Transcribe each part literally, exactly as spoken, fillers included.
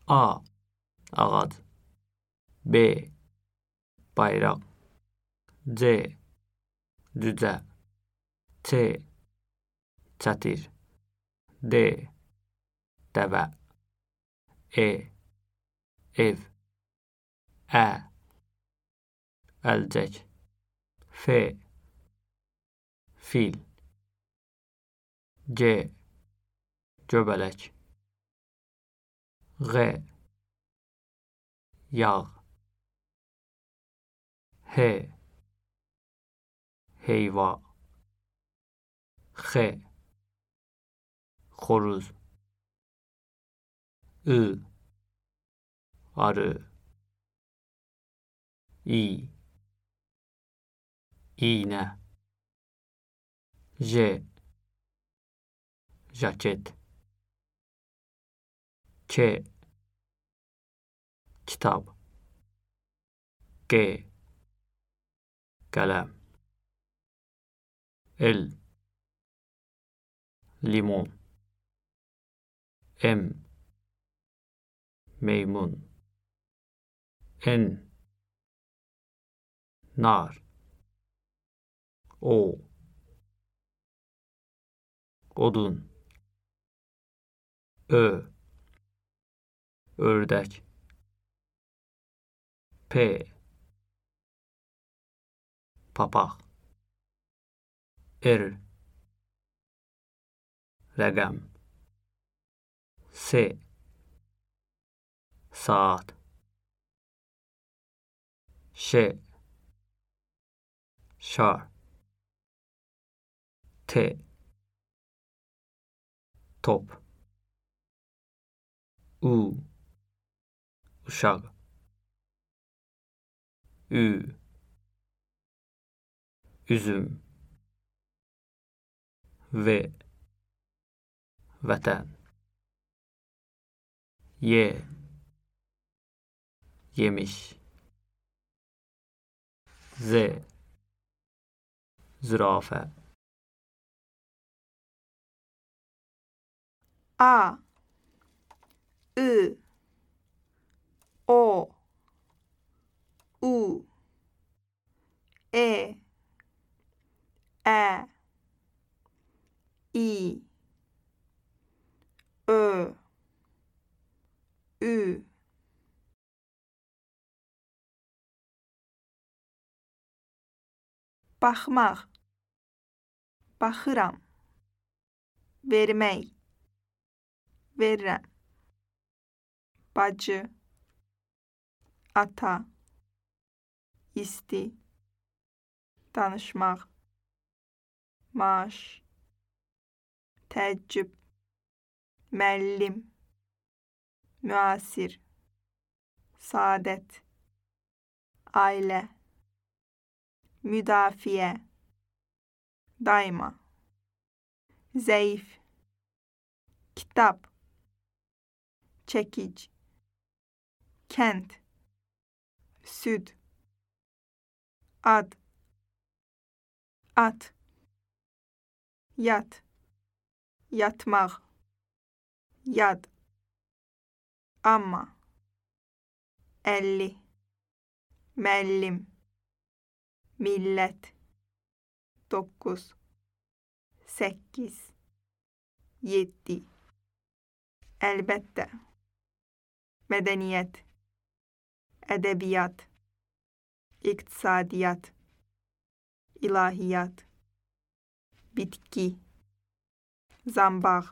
A. Ağac B. Bayraq C. Cücə Ç. Çətir D. Dəvə E. Ev Ə. Əlcək F. Fil G. Göbələk G. Yağ H. Heyva X. Xoruz I. Arı İ. İğnə J. Jaket K. Kitab G. Qələm L. Limon M. Meymun N. Nar O. Odun Ö. Ördək P. Papaq R. Rəqəm S. Saat Ş. Şar T. Top U. Uşaq Ü. Üzüm V. Vətən Y. Yemiş Z. Zürafə A. I. O. U. E. Ə. İ. Ö. Ü. Baxmaq, baxıram. Vermək, verirəm. Bacı, ata, isti, danışmaq, maaş, təəccüb, müəllim, müasir, saadət, ailə, müdafiə, daima, zəif, kitab, çəkic, kənd, süd, ad, at, yat, yatmaq, yad, amma, əlli, müəllim, millət, doqquz, səkkiz, yeddi, əlbəttə, mədəniyyət, ədəbiyyat, iqtisadiyyat, ilahiyyat, bitki, zambaq,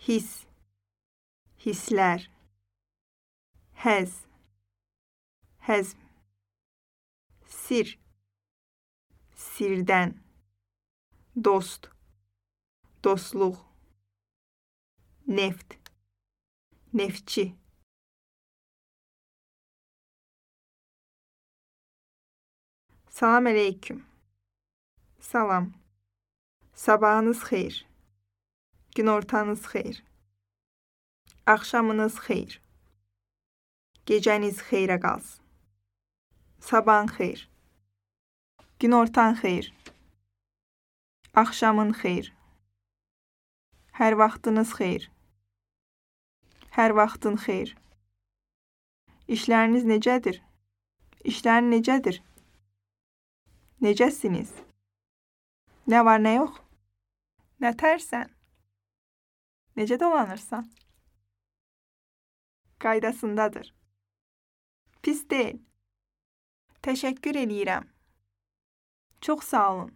his, hisslər, həz, həzm, sir, sirdən, dost, dostluq, neft, neftçi. Salam əleyküm. Salam. Sabahınız xeyir. Günortanız xeyir. Axşamınız xeyir. Gecəniz xeyrə qalsın. Sabahın xeyir. Günortan xeyir. Axşamın xeyir. Hər vaxtınız xeyir. Hər vaxtın xeyir. İşləriniz necədir? İşlərin necədir? Necəsiniz? Nə var, nə yox? Nə tərsən? Necə dolanırsan? Qaydasındadır. Pis deyil. Təşəkkür eləyirəm. Çox sağ olun.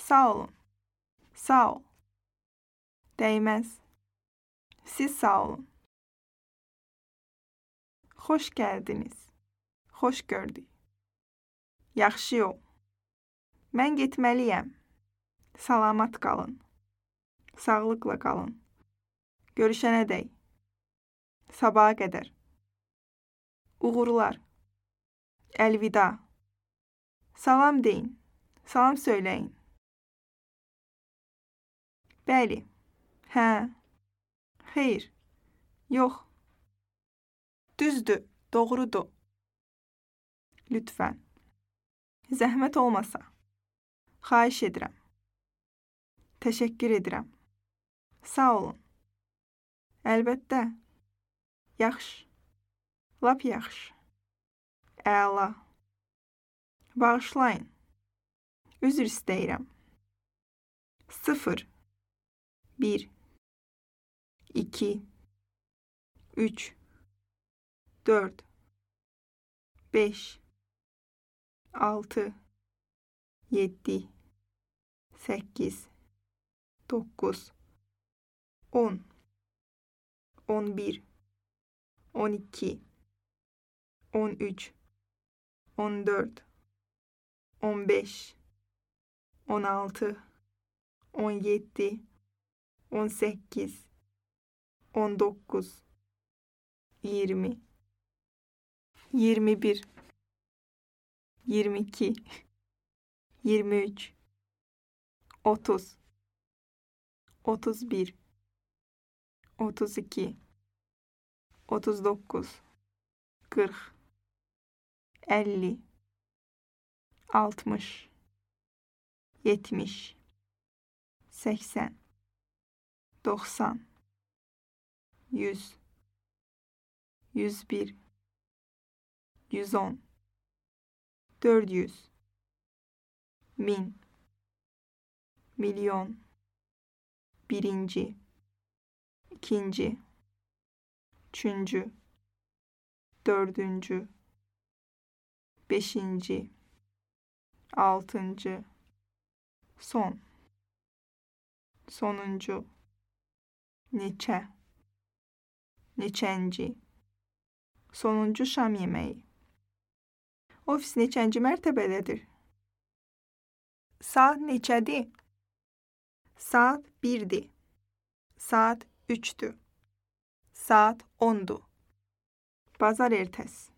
Sağ olun. Sağ ol. Dəyməz. Siz sağ olun. Xoş gəldiniz. Xoş gördük. Yaxşı yol. Mən getməliyəm. Salamat qalın. Sağlıqla qalın. Görüşənədək. Sabaha qədər. Uğurlar. Əlvida. Salam deyin. Salam söyləyin. Bəli. Hə. Xeyr. Yox. Düzdür. Doğrudur. Lütfən. Zəhmət olmasa. Xahiş edirəm. Təşəkkür edirəm. Sağ olun. Əlbəttə. Yaxşı. Lap yaxşı. Əla. Bağışlayın. Üzr istəyirəm. Sıfır. Bir. İki. Üç. Dörd. Beş. Altı. Yeddi. Səkkiz. Doqquz. On. On bir. On iki. On üç. On dörd. On beş. On altı. On yeddi. On səkkiz. On doqquz. Iyirmi. Iyirmi bir. Iyirmi iki. Iyirmi üç. Otuz. Otuz bir. Otuz iki. Otuz doqquz. Qırx. Əlli. Altmış. Yetmiş. Səksən. Doxsan. Yüz. Yüz bir. Yüz on. Dörd yüz. Min. Milyon. Birinci. İkinci. Üçüncü. Dördüncü. Beşinci. Altıncı. Son. Sonuncu. Neçə. Neçənci. Sonuncu şam yeməyi. Ofis neçənci mərtəbədədir? Saat neçədir? Saat birdir. Saat üçdür. Saat ondur. Bazar ertəsi.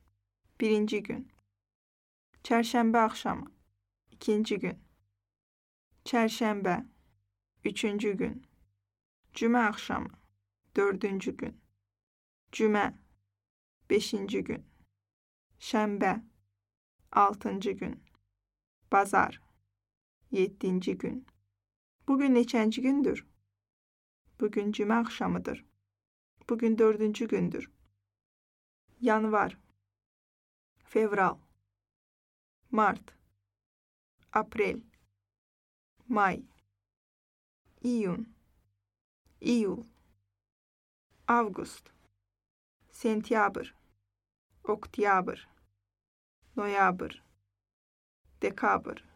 Birinci gün. Çərşənbə axşamı. İkinci gün. Çərşənbə. Üçüncü gün. Cümə axşamı. Dördüncü gün. Cümə. Beşinci gün. Şənbə. Altıncı gün. Bazar. Yeddinci gün. Bugün neçənci gündür? Bugün cümə axşamıdır. Bugün dördüncü gündür. Yanvar. Fevral. Mart. Aprel. May. İyun. İyul. Avqust. Sentyabr. Oktyabr. Noyabr. Dekabr.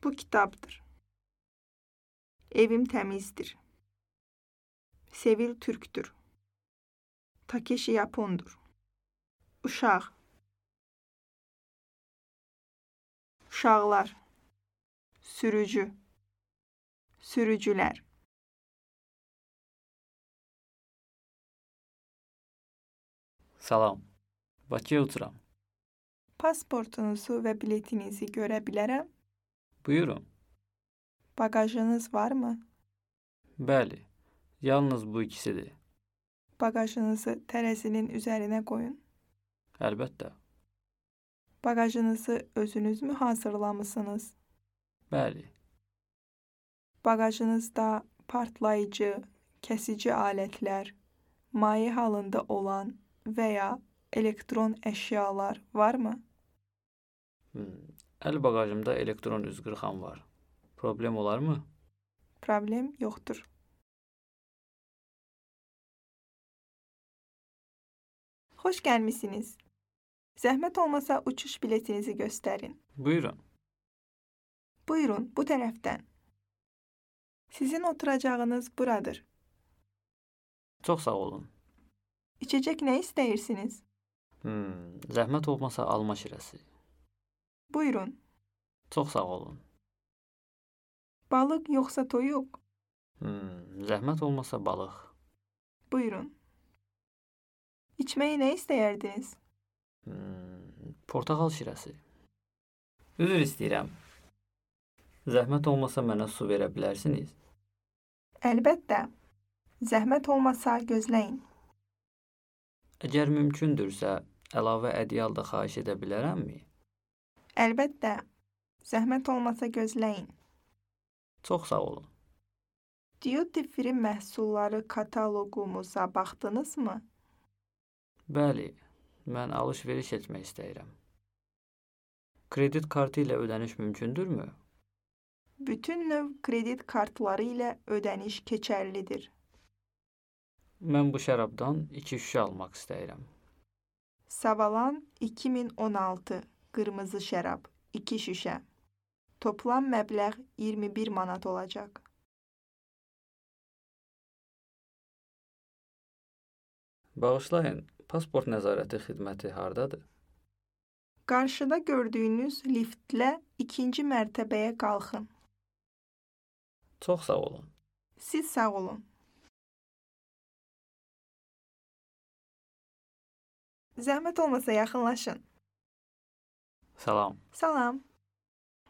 Bu kitabdır. Evim təmizdir. Sevil Türk'tür. Takeshi Yapondur. Uşaq. Uşaqlar. Sürücü. Sürücülər. Salam. Bakıya uçuram. Pasportunuzu və biletinizi görə bilərəm? Buyurun. Bagajınız varmı? Bəli. Yalnız bu ikisidir. Bagajınızı tərəzinin üzərinə qoyun. Əlbəttə. Bagajınızı özünüz mü hazırlamısınız? Bəli. Bagajınızda partlayıcı, kesici aletler, maye halında olan veya elektron eşyalar var mı? Hmm. Əl bagajımda elektron üzqırxan var. Problem olar mı? Problem yoktur. Hoş gelmişsiniz. Zəhmət olmasa uçuş biletinizi gösterin. Buyurun. Buyurun, bu tərəfdən. Sizin oturacağınız buradır. Çox sağ olun. İçecek ne isteyirsiniz? Hmm. Zəhmət olmasa alma şirəsi. Buyurun. Çox sağ olun. Balık yoksa toyuq? Hmm. Zəhmət olmasa balıq. Buyurun. İçmeyi ne isteyerdiniz? Hmm. Portakal şirəsi. Üzr istəyirəm. Zəhmət olmasa mənə su verə bilərsiniz? Əlbəttə. Zəhmət olmasa gözləyin. Əgər mümkündürsə, əlavə ədyal da xahiş edə bilərəmmi? Əlbəttə. Zəhmət olmasa gözləyin. Çox sağ olun. Duty free məhsulları kataloqumuza baxdınızmı? Bəli, mən alış-veriş etmək istəyirəm. Kredit kartı ilə ödəniş mümkündürmü? Bütün növ kredit kartları ilə ödəniş keçərlidir. Mən bu şərabdan iki şüşə almaq istəyirəm. Savalan iki min on altı qırmızı şərab iki şüşə. Toplam məbləğ iyirmi bir manat olacaq. Bağışlayın, pasport nəzarəti xidməti hardadır? Qarşıda gördüyünüz liftlə ikinci mərtəbəyə qalxın. Çox sağ olun. Siz sağ olun. Zəhmət olmasa yaxınlaşın. Salam. Salam.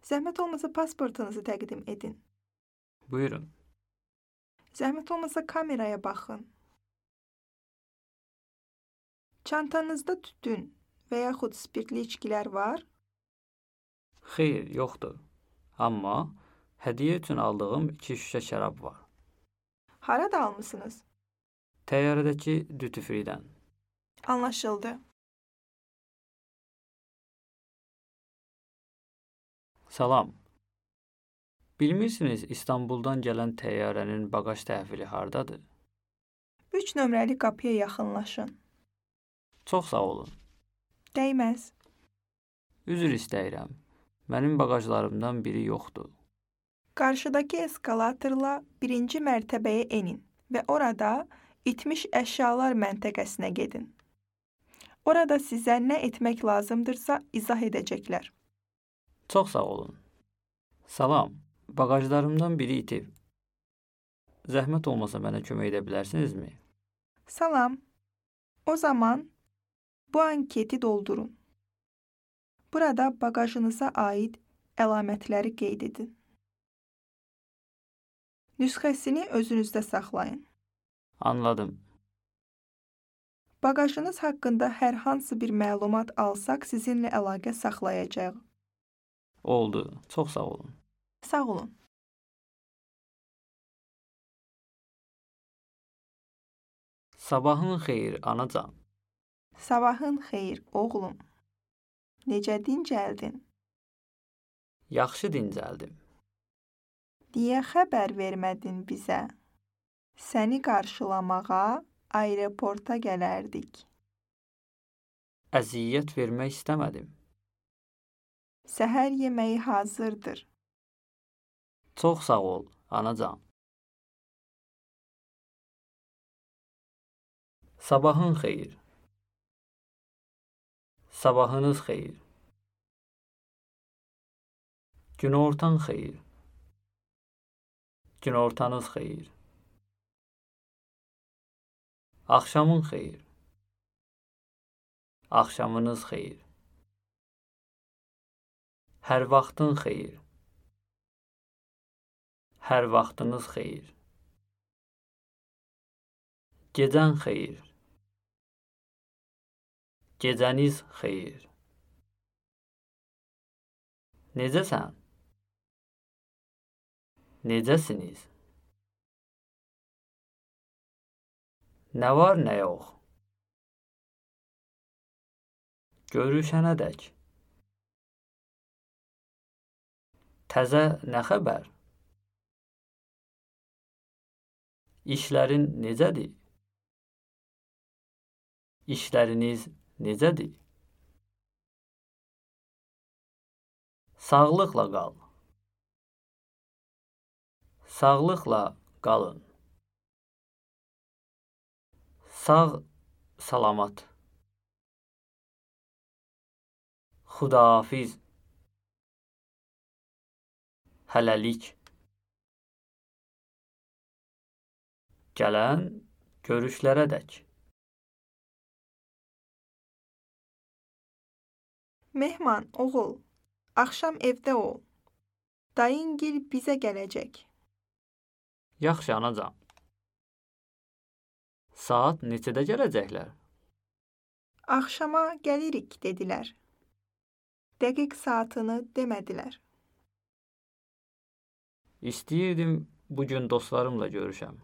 Zəhmət olmasa pasportunuzu təqdim edin. Buyurun. Zəhmət olmasa kameraya baxın. Çantanızda tütün və yaxud spirtli içkilər var? Xeyr, yoxdur. Amma hədiyyə üçün aldığım iki şüşə şərab var. Harada almısınız? Təyyarədəki duty free-dən. Anlaşıldı. Salam. Bilmirsiniz, İstanbuldan gələn təyyarənin bagaj təhvili hardadır? üç nömrəli qapıya yaxınlaşın. Çox sağ olun. Dəyməz. Üzr istəyirəm. Mənim bagajlarımdan biri yoxdur. Qarşıdakı eskalatorla birinci mərtəbəyə enin və orada itmiş əşyalar məntəqəsinə gedin. Orada sizə nə etmək lazımdırsa izah edəcəklər. Çox sağ olun. Salam. Bagajlarımdan biri itib. Zəhmət olmasa mənə kömək edə bilərsinizmi? Salam. O zaman bu anketi doldurun. Burada bagajınıza aid əlamətləri qeyd edin. Nüsxəsini özünüzdə saxlayın. Anladım. Bagajınız haqqında hər hansı bir məlumat alsaq sizinlə əlaqə saxlayacağıq. Oldu. Çox sağ olun. Sağ olun. Sabahın xeyir, anacan. Sabahın xeyir, oğlum. Necə dincəldin? Yaxşı dincəldim. Niyə xəbər vermədin bizə? Səni qarşılamağa aeroporta gələrdik. Əziyyət vermək istəmədim. Səhər yeməyi hazırdır. Çox sağ ol, anacan. Sabahın xeyir. Sabahınız xeyir. Günortan xeyir. Günortanız xeyir. Axşamın xeyir. Axşamınız xeyir. Hər vaxtın xeyir. Hər vaxtınız xeyir. Gecən xeyir. Gecəniz xeyir. Necəsən? Necəsiniz? Nə var, nə yox? Görüşənədək. Təzə nə xəbər? İşlərin necədir? İşləriniz necədir? Sağlıqla qal. Sağlıqla qalın. Sağ, salamat. Xudahafiz. Hələlik. Gələn görüşlərədək. Mehman, oğul, axşam evdə ol. Dayıngil bizə gələcək. Yaxşı, anacan. Saat neçədə gələcəklər? Axşama gəlirik, dedilər. Dəqiq saatını demədilər. İstəyirdim bugün dostlarımla görüşəm.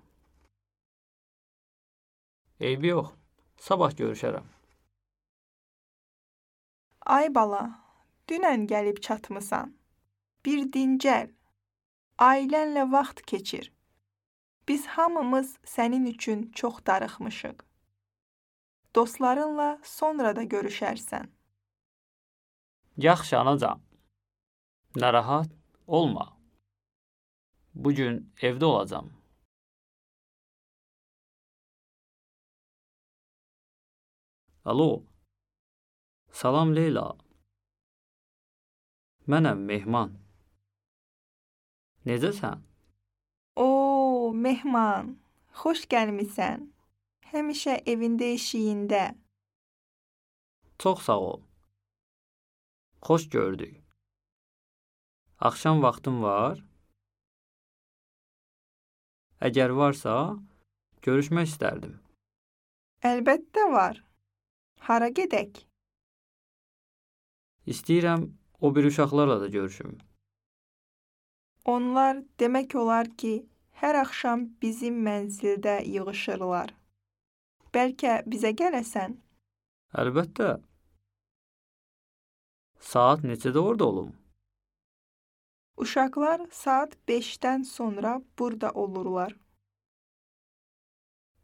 Eybi yox, sabah görüşərəm. Ay bala, dünən gəlib çatmısan. Bir dincəl, ailənlə vaxt keçir. Biz hamımız sənin üçün çox darıxmışıq. Dostlarınla sonra da görüşərsən. Yaxşı, anacan. Narahat olma. Bugün evdə olacam. Alo. Salam Leyla. Mənəm Mehman. Necəsən? Oo, Mehman, xoş gəlmisən. Həmişə evində eşiyində. Çox sağ ol. Xoş gördük. Axşam vaxtın var? Əgər varsa, görüşmək istərdim. Əlbəttə var. Hara gedək? İstəyirəm o bir uşaqlarla da görüşüm. Onlar demək olar ki, hər axşam bizim mənzildə yığışırlar. Bəlkə bizə gələsən? Əlbəttə. Saat neçədə orada olum? Uşaqlar saat beşdən sonra burada olurlar.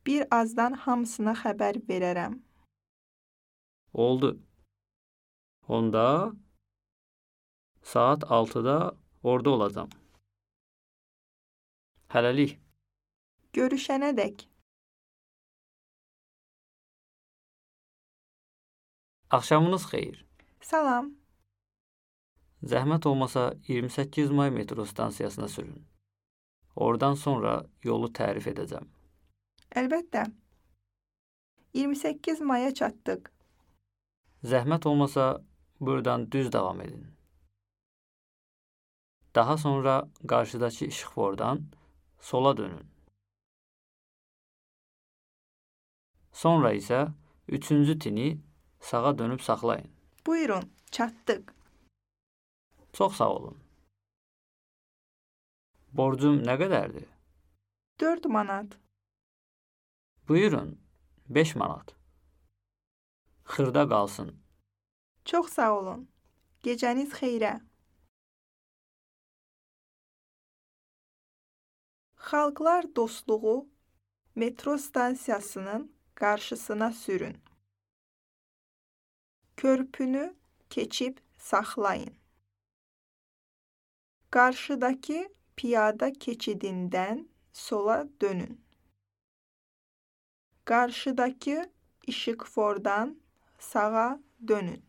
Bir azdan hamısına xəbər verərəm. Oldu. Onda saat altıda orada olacam. Hələlik. Görüşənədək. Axşamınız xeyir. Salam. Zəhmət olmasa iyirmi səkkiz may metro stansiyasına sürün. Oradan sonra yolu tərif edəcəm. Əlbəttə. iyirmi səkkiz maya çatdıq. Zəhmət olmasa buradan düz davam edin. Daha sonra qarşıdakı işıqfordan sola dönün. Sonra isə üçüncü tini sağa dönüb saxlayın. Buyurun, çatdıq. Çox sağ olun. Borcum nə qədərdir? dörd manat. Buyurun, beş manat. Xırda qalsın. Çox sağ olun. Gecəniz xeyrə. Xalqlar dostluğu metro stansiyasının qarşısına sürün. Körpünü keçib saxlayın. Qarşıdakı piyada keçidindən sola dönün. Qarşıdakı işıqfordan sağa dönün.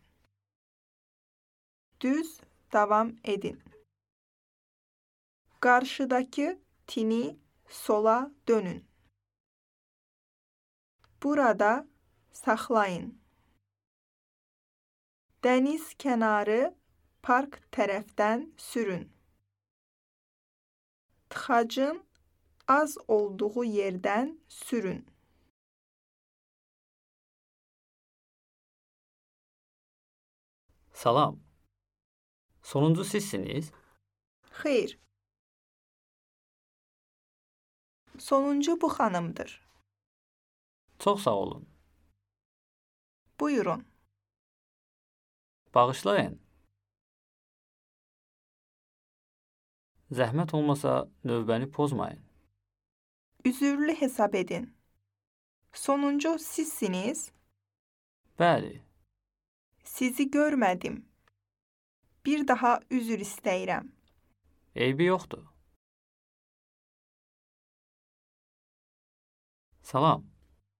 Düz davam edin. Qarşıdakı tini sola dönün. Burada saxlayın. Dəniz kənarı park tərəfdən sürün. Tıxacın az olduğu yerdən sürün. Salam. Sonuncu sizsiniz? Xeyr, Sonuncu bu xanımdır. Çox sağ olun. Buyurun. Bağışlayın. Zəhmət olmasa növbəni pozmayın. Üzürlü hesab edin. Sonuncu sizsiniz. Bəli, Sizi görmədim. Bir daha üzür istəyirəm. eybi yoxdur. Salam,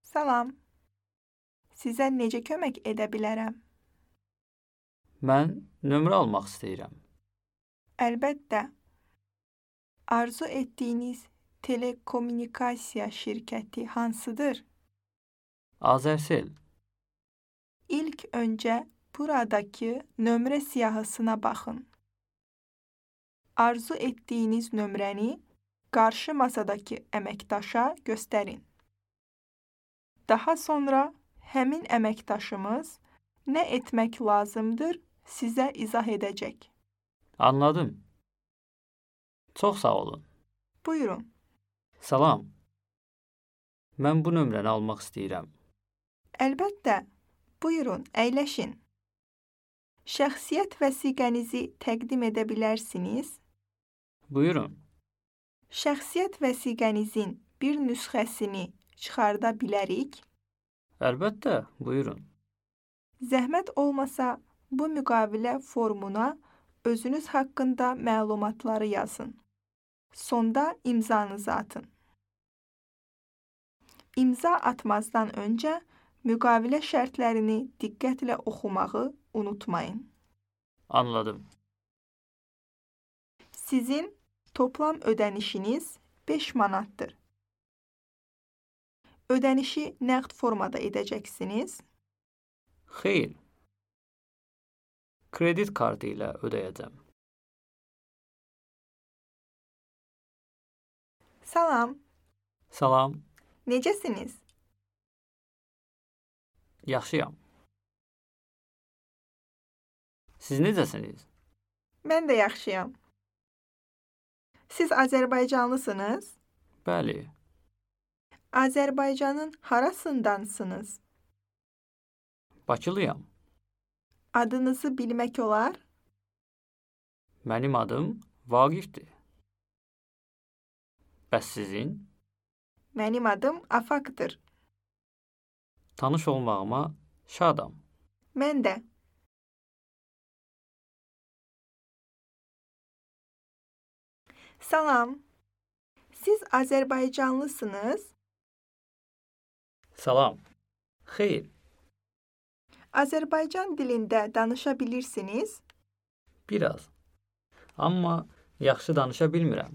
Salam. Sizə necə kömək edə bilərəm? mən nömrə almaq istəyirəm. Əlbəttə. Arzu etdiyiniz telekommunikasiya şirkəti hansıdır? Azərsel, İlk öncə buradakı nömrə siyahısına baxın. Arzu etdiyiniz nömrəni qarşı masadakı əməkdaşa göstərin. Daha sonra həmin əməkdaşımız nə etmək lazımdır sizə izah edəcək. anladım. Çox sağ olun. Buyurun. Salam, mən bu nömrəni almaq istəyirəm. Əlbəttə. Buyurun, əyləşin. Şəxsiyyət vəsiqənizi təqdim edə bilərsiniz. Buyurun, Şəxsiyyət vəsiqənizin bir nüsxəsini çıxarda bilərik. əlbəttə, buyurun. Zəhmət olmasa bu müqavilə formuna özünüz haqqında məlumatları yazın. Sonda imzanızı atın. İmza atmazdan öncə müqavilə şərtlərini diqqətlə oxumağı unutmayın. Anladım. Sizin toplam ödənişiniz beş manatdır. Ödənişi nəqd formada edəcəksiniz. Xeyr, kredit kartı ilə ödəyəcəm. Salam, Salam, necəsiniz? yaxşıyam. Siz necəsiniz? Mən də yaxşıyam. Siz Azərbaycanlısınız? Bəli, Azərbaycanın harasındansınız? Bakılıyam. Adınızı bilmək olar? Mənim adım Vaqifdir. Bəs sizin? Mənim adım Afaqdır. Tanış olmağıma şadam. Mən də. Salam. Siz Azərbaycanlısınız? Salam. Xeyr, Azərbaycan dilində danışa bilirsiniz? biraz. Amma yaxşı danışa bilmirəm.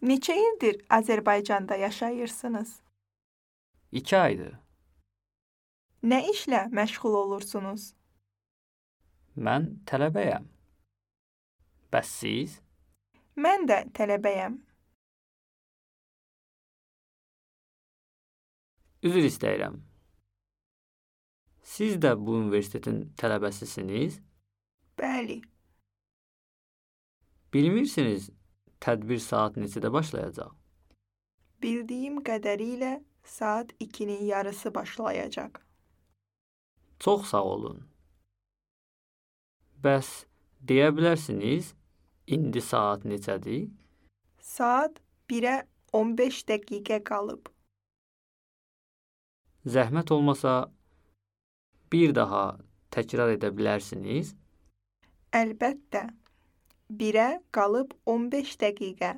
Neçə ildir Azərbaycanda yaşayırsınız? İki aydır. Nə işlə məşğul olursunuz? Mən tələbəyəm. Bəs siz? Mən də tələbəyəm. Üzr istəyirəm. Siz də bu universitetin tələbəsisiniz? Bəli. Bilmirsiniz, tədbir saat neçədə başlayacaq? Bildiyim qədərilə saat ikinin yarısı başlayacaq. Çox sağ olun. Bəs deyə bilərsiniz, indi saat neçədir? Saat birə on beş dəqiqə qalıb. Zəhmət olmasa bir daha təkrar edə bilərsiniz? Əlbəttə. birə qalıb on beş dəqiqə.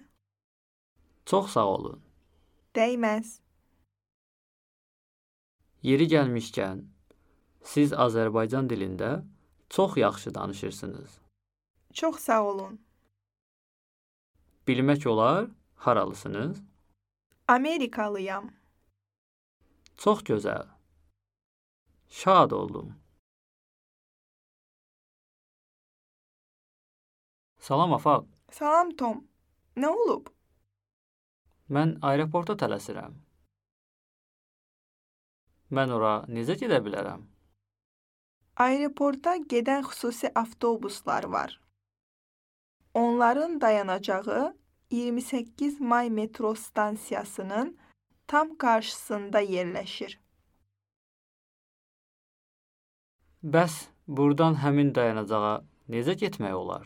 Çox sağ olun. Dəyməz. Yeri gəlmişkən, siz Azərbaycan dilində çox yaxşı danışırsınız. Çox sağ olun. Bilmək olar, haralısınız? Amerikalıyam. Çox gözəl. Şad oldum. Salam Afaq. Salam Tom. Nə olub? Mən aeroporta tələsirəm. Mən ora necə gedə bilərəm? Aeroporta gedən xüsusi avtobuslar var. Onların dayanacağı iyirmi səkkiz may metro stansiyasının tam qarşısında yerləşir. Bəs buradan həmin dayanacağa necə getmək olar?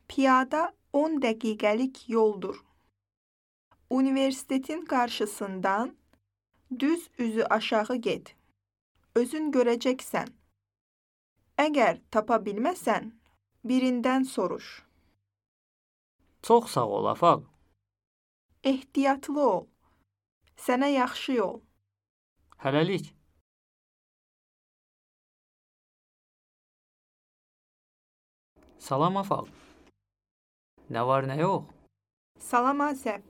Piyada on dəqiqəlik yoldur. Universitetin qarşısından düz üzü aşağı get. Özün görəcəksən. Əgər tapa bilməsən, birindən soruş. Çox sağ ol, Afaq. Ehtiyatlı ol. Sənə yaxşı yol. Hələlik. Salam, Afaq. Nə var, nə yox? Salam Asəf.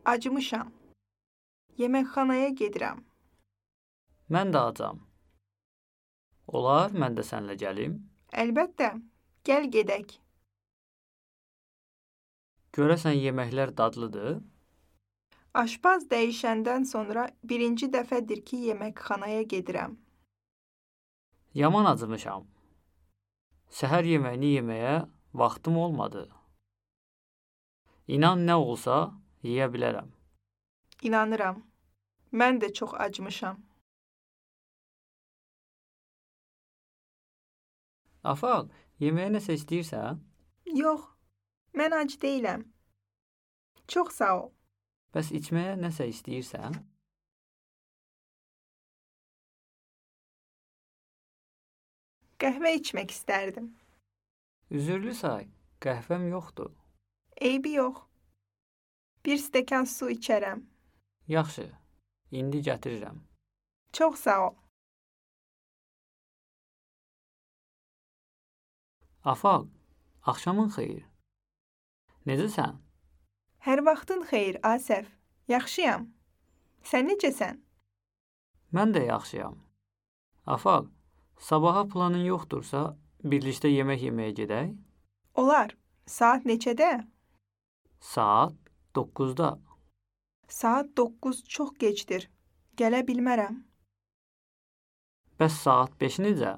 Acımışam. Yeməkxanaya gedirəm. Mən də acam. Olar, mən də sənlə gəlim. Əlbəttə, gəl gedək. Görəsən yeməklər dadlıdır? Aşpaz dəyişəndən sonra birinci dəfədir ki, yeməkxanaya gedirəm. Yaman acımışam. Səhər yeməyini yeməyə vaxtım olmadı. İnan nə olsa yeyə bilərəm. İnanıram. Mən də çox acımışam. Afaq, yeməyə nəsə istəyirsən? Yox, mən ac deyiləm. Çox sağ ol. Bəs içməyə nəsə istəyirsən? Qəhvə içmək istərdim. Üzürlü say, qəhvəm yoxdur. Eybi yox. Bir stəkan su içərəm. Yaxşı, indi gətirirəm. Çox sağ ol. Afaq, axşamın xeyir. Necəsən? Hər vaxtın xeyir, Asəf. Yaxşıyam. Sən necəsən? Mən də yaxşıyam. Afaq, sabaha planın yoxdursa, birlikdə yemək yeməyə gedək? Olar. Saat neçədə? Saat doqquzda. Saat doqquz çox gecdir. Gələ bilmərəm. Bəs saat beş necə?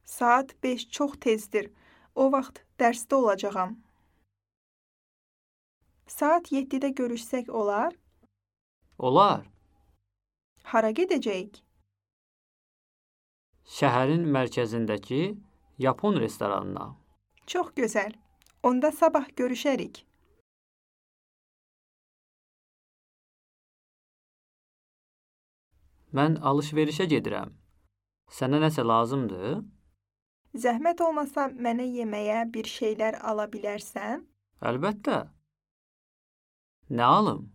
Saat beş çox tezdir. O vaxt dərsdə olacağam. Saat yeddidə görüşsək olar? Olar. Hara gedəcəyik? Şəhərin mərkəzindəki Yapon restoranına. Çox gözəl. Onda sabah görüşərik. Mən alış-verişə gedirəm. Sənə nəsə lazımdır? Zəhmət olmasa mənə yeməyə bir şeylər ala bilərsən? Əlbəttə. Nə alım?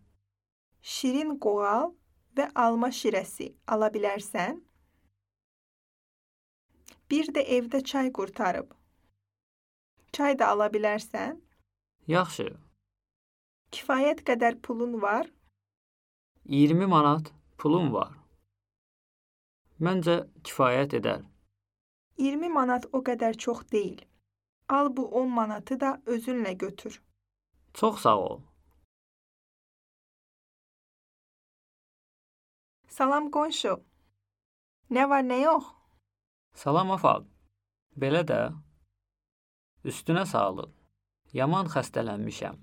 Şirin qoğal və alma şirəsi ala bilərsən? Bir də evdə çay qurtarıb. Çay da ala bilərsən? Yaxşı. Kifayət qədər pulun var? iyirmi manat pulum var. Məncə kifayət edər. iyirmi manat o qədər çox deyil. Al bu on manatı da özünlə götür. Çox sağ ol. Salam qonşu. Nə var, nə yox? Salam Afaq. Belə də. Üstünə sağlıq. Yaman xəstələnmişəm.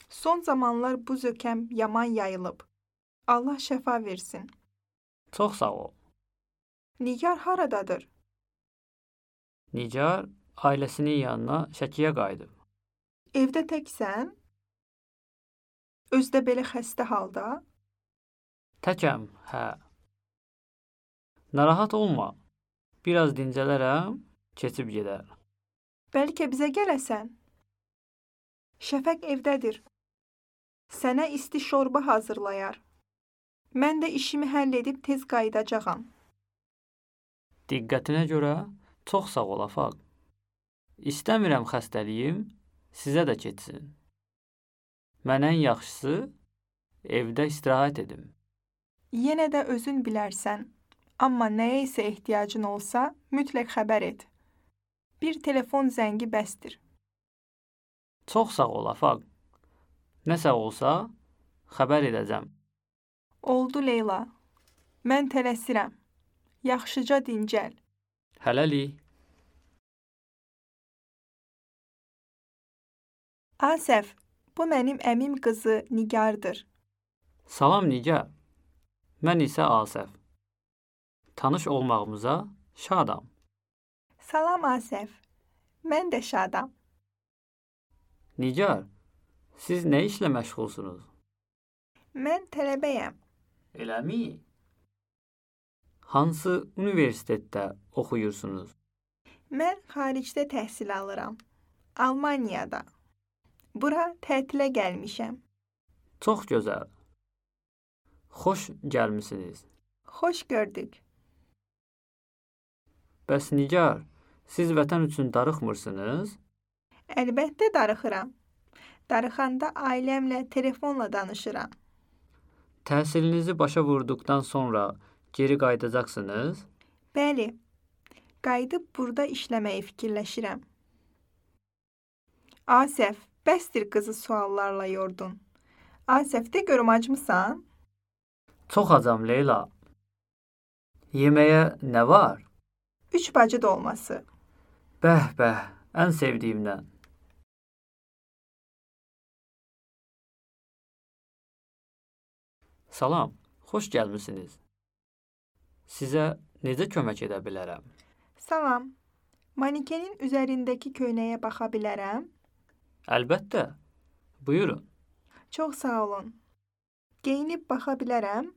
Son zamanlar bu zökəm yaman yayılıb. Allah şəfa versin. Çox sağ ol. Nigar haradadır? Nigar ailəsinin yanına Şəkiyə qayıdıb. Evdə təksən? Özdə belə xəstə halda? Təkəm, hə. Narahat olma. Biraz dincələrəm, keçib gedər. Bəlkə bizə gələsən? Şəfəq evdədir. Sənə isti şorba hazırlayar. Mən də işimi həll edib tez qayıdacağam. Diqqətinə görə çox sağ ol Afaq. İstəmirəm xəstəliyim sizə də keçsin. Mən ən yaxşısı evdə istirahət edim. Yenə də özün bilərsən. Amma nəyə isə ehtiyacın olsa, mütləq xəbər et. Bir telefon zəngi bəsdir. Çox sağ ol Afaq. Nəsə olsa xəbər edəcəm. Oldu Leyla. Mən tələsirəm. Yaxşıca dincəl. Hələlik. Asəf, bu mənim əmim qızı Nigardır. Salam Nigar. Mən isə Asəf. Tanış olmağımıza şadam. Salam Asəf, mən də şadam. Nigar, siz nə işlə məşğulsunuz? Mən tələbəyəm. Eləmi? Hansı universitetdə oxuyursunuz? Mən xaricdə təhsil alıram. Almaniyada. Bura tətilə gəlmişəm. Çox gözəl. Xoş gəlmisiniz. Xoş gördük. Bəs Nigar, siz vətən üçün darıxmırsınız? Əlbəttə darıxıram. Darıxanda ailəmlə telefonla danışıram. Təhsilinizi başa vurduqdan sonra geri qayıdacaqsınız? Bəli, qayıdıb burada işləməyi fikirləşirəm. Asəf, bəsdir qızı suallarla yordun. Asəf, de görüm acmısan? Çox acam Leyla. Yeməyə nə var? Üç bacı dolması. Bəh, bəh, ən sevdiyimdən. Salam, xoş gəlmisiniz. Sizə necə kömək edə bilərəm? Salam, manikenin üzərindəki köynəyə baxa bilərəm? Əlbəttə, buyurun. Çox sağ olun. Geyinib baxa bilərəm?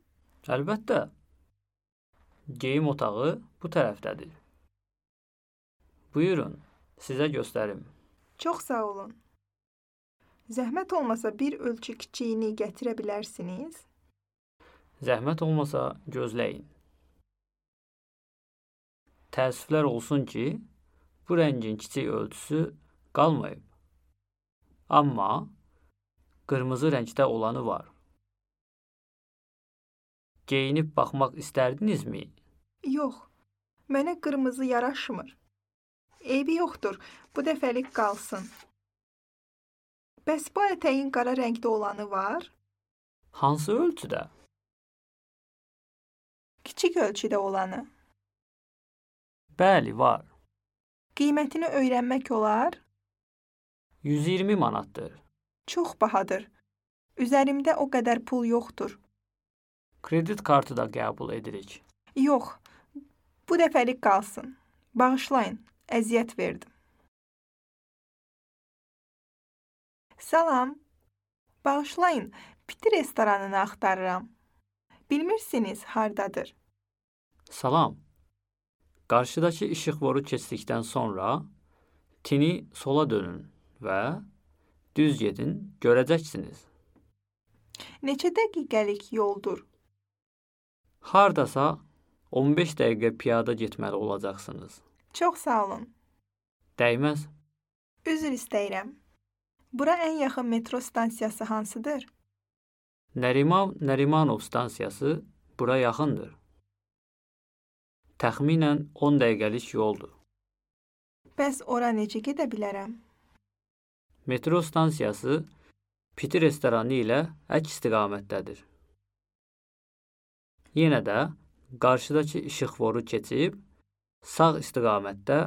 Əlbəttə. Geyim otağı bu tərəfdədir. Buyurun, sizə göstərim. Çox sağ olun. Zəhmət olmasa bir ölçü kiçiyini gətirə bilərsiniz? Zəhmət olmasa gözləyin. Təəssüflər olsun ki, bu rəngin kiçik ölçüsü qalmayıb. Amma qırmızı rəngdə olanı var. Geyinib baxmaq istərdinizmi? Yox, mənə qırmızı yaraşmır. Eybi yoxdur, bu dəfəlik qalsın. Bəs bu ətəyin qara rəngdə olanı var? Hansı ölçüdə? Kiçik ölçüdə olanı. Bəli, var. Qiymətini öyrənmək olar? yüz iyirmi manatdır. Çox bahadır. Üzərimdə o qədər pul yoxdur. Kredit kartı da qəbul edirik. Yox, bu dəfəlik qalsın. Bağışlayın, əziyyət verdim. Salam, bağışlayın, piti restoranını axtarıram. Bilmirsiniz, hardadır? Salam. Qarşıdakı işıqforu keçdikdən sonra tini sola dönün və düz gedin, görəcəksiniz. Neçə dəqiqəlik yoldur? Hardasa on beş dəqiqə piyada getməli olacaqsınız. Çox sağ olun. Dəyməz. Üzr istəyirəm. Bura ən yaxın metro stansiyası hansıdır? Nəriman Nərimanov stansiyası bura yaxındır. Təxminən on dəqiqəlik yoldur. Bəs ora necə gedə bilərəm? Metro stansiyası piti restoranı ilə əks istiqamətdədir. Yenə də qarşıdakı işıqforu keçib sağ istiqamətdə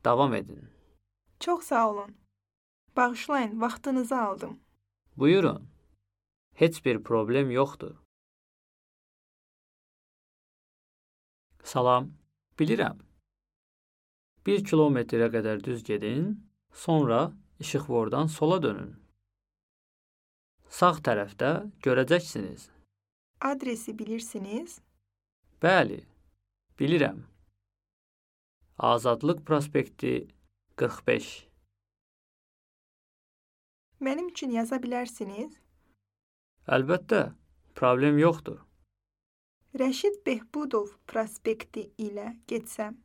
davam edin. Çox sağ olun. Bağışlayın, vaxtınızı aldım. Buyurun. Heç bir problem yoxdur. Salam, bilirəm. Bir kilometrə qədər düz gedin, sonra işıqfordan sola dönün. Sağ tərəfdə görəcəksiniz. Adresi bilirsiniz? Bəli, bilirəm. Azadlıq prospekti qırx beş. Mənim üçün yaza bilərsiniz? Əlbəttə, problem yoxdur. Rəşid Behbudov prospekti ilə getsəm,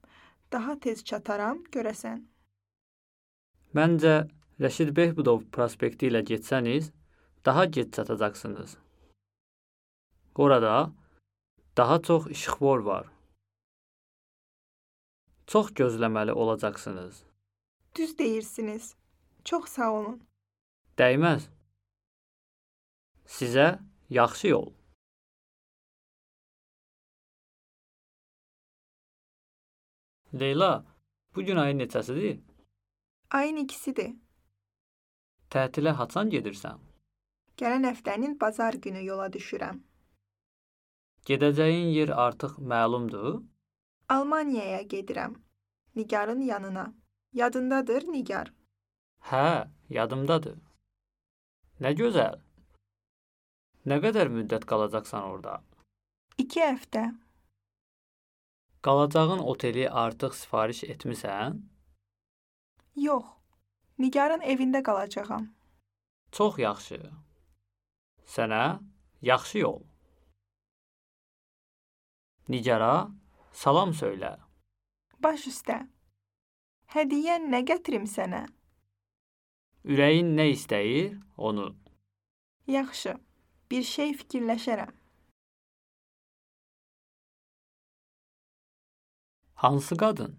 daha tez çataram, görəsən. Məncə, Rəşid Behbudov prospekti ilə getsəniz, daha gec çatacaqsınız. Orada daha çox işıqfor var. Çox gözləməli olacaqsınız. Düz deyirsiniz. Çox sağ olun. Dəyməz. Sizə yaxşı yol. Leyla, bugün ayın neçəsidir? Ayın ikisidir. Tətilə haçan gedirsən? Gələn həftənin bazar günü yola düşürəm. Gedəcəyin yer artıq məlumdur? Almaniyaya gedirəm. Nigarın yanına. Yadındadır Nigar? Hə, yadımdadır. Nə gözəl. Nə qədər müddət qalacaqsan orada? İki həftə. Qalacağın oteli artıq sifariş etmisən? Yox. Nigarın evində qalacağam. Çox yaxşı. Sənə yaxşı yol. Nigara salam söylə. Baş üstə. Hədiyyən nə gətirim sənə? Ürəyin nə istəyir, onu. Yaxşı. Bir şey fikirləşərəm. Hansı qadın?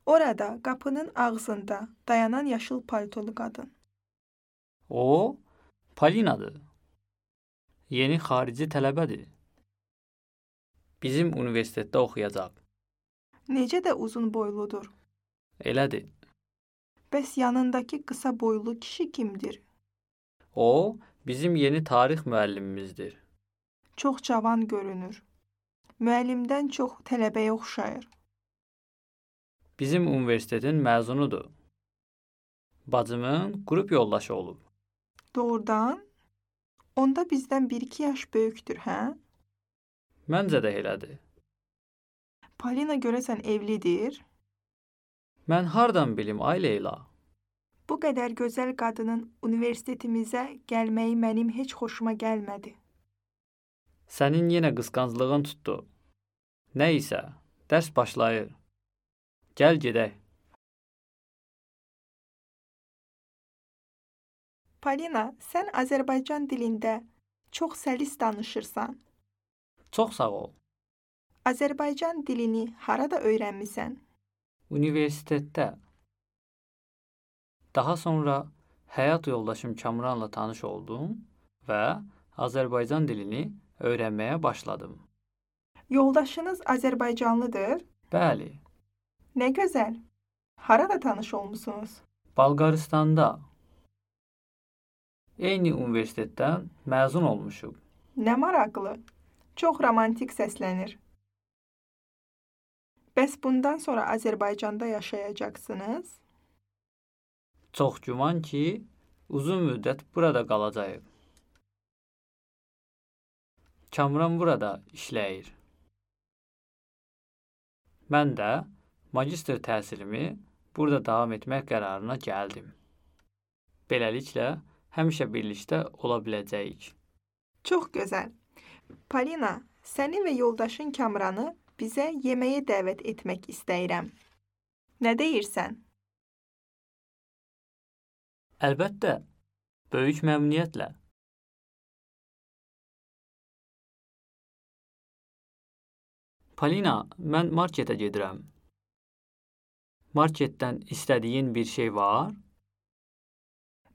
Orada, qapının ağzında dayanan yaşıl paltolu qadın. O, Palinadır. Yeni xarici tələbədir. Bizim universitetdə oxuyacaq. Necə də uzun boyludur. Elədir. Bəs yanındakı qısa boylu kişi kimdir? O, bizim yeni tarix müəllimimizdir. Çox cavan görünür. Müəllimdən çox tələbəyə oxşayır. Bizim universitetin məzunudur. Bacımın qrup yoldaşı olub. Doğrudan? Onda bizdən bir iki yaş böyükdür, hə? Məncə də elədir. Palina görəsən evlidir? Mən hardan bilim, ay Leyla? Bu qədər gözəl qadının universitetimizə gəlməyi mənim heç xoşuma gəlmədi. Sənin yenə qısqanclığın tutdu. Nə isə, dərs başlayır. Gəl gedək. Palina, sən Azərbaycan dilində çox səlis danışırsan. Çox sağ ol. Azərbaycan dilini harada öyrənmisən? Universitetdə. Daha sonra həyat yoldaşım Kamranla tanış oldum və Azərbaycan dilini öyrənməyə başladım. Yoldaşınız Azərbaycanlıdır? Bəli. Nə gözəl. Harada tanış olmusunuz? Bolqarıstanda. Eyni universitetdən məzun olmuşuq. Nə maraqlı. Çox romantik səslənir. Bəs bundan sonra Azərbaycanda yaşayacaqsınız? Çox güman ki, uzun müddət burada qalacağıq. Kamran burada işləyir. Mən də magistr təhsilimi burada davam etmək qərarına gəldim. Beləliklə, həmişə birlikdə ola biləcəyik. Çox gözəl. Palina, səni və yoldaşın Kamranı bizə yeməyə dəvət etmək istəyirəm. Nə deyirsən? Əlbəttə, böyük məmnuniyyətlə. Palina, mən marketə gedirəm. Marketdən istədiyin bir şey var?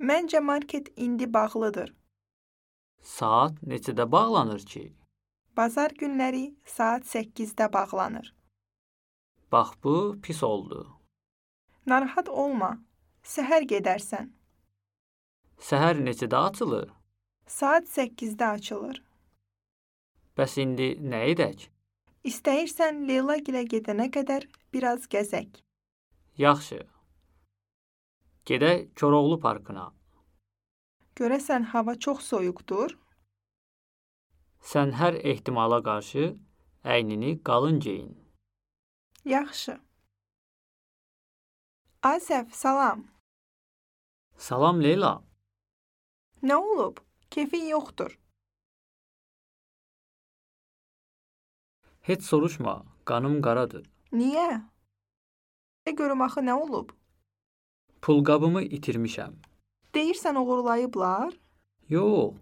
Məncə market indi bağlıdır. Saat neçədə bağlanır ki? Bazar günləri saat səkkizdə bağlanır. Bax, bu pis oldu. Narahat olma. Səhər gedərsən. Səhər neçədə açılır? Saat səkkizdə açılır. Bəs indi nə edək? İstəyirsən Leyla gilə gedənə qədər biraz gəzək. Yaxşı. Gedək Koroğlu parkına. Görəsən hava çox soyuqdur? Sən hər ehtimala qarşı əynini qalın geyin. Yaxşı. Asəf, salam. Salam Leyla. Nə olub? Keyfin yoxdur. Heç soruşma, qanım qaradır. Niyə? Nə görüm axı nə olub? Pulqabımı itirmişəm. Deyirsən oğurlayıblar? Yox,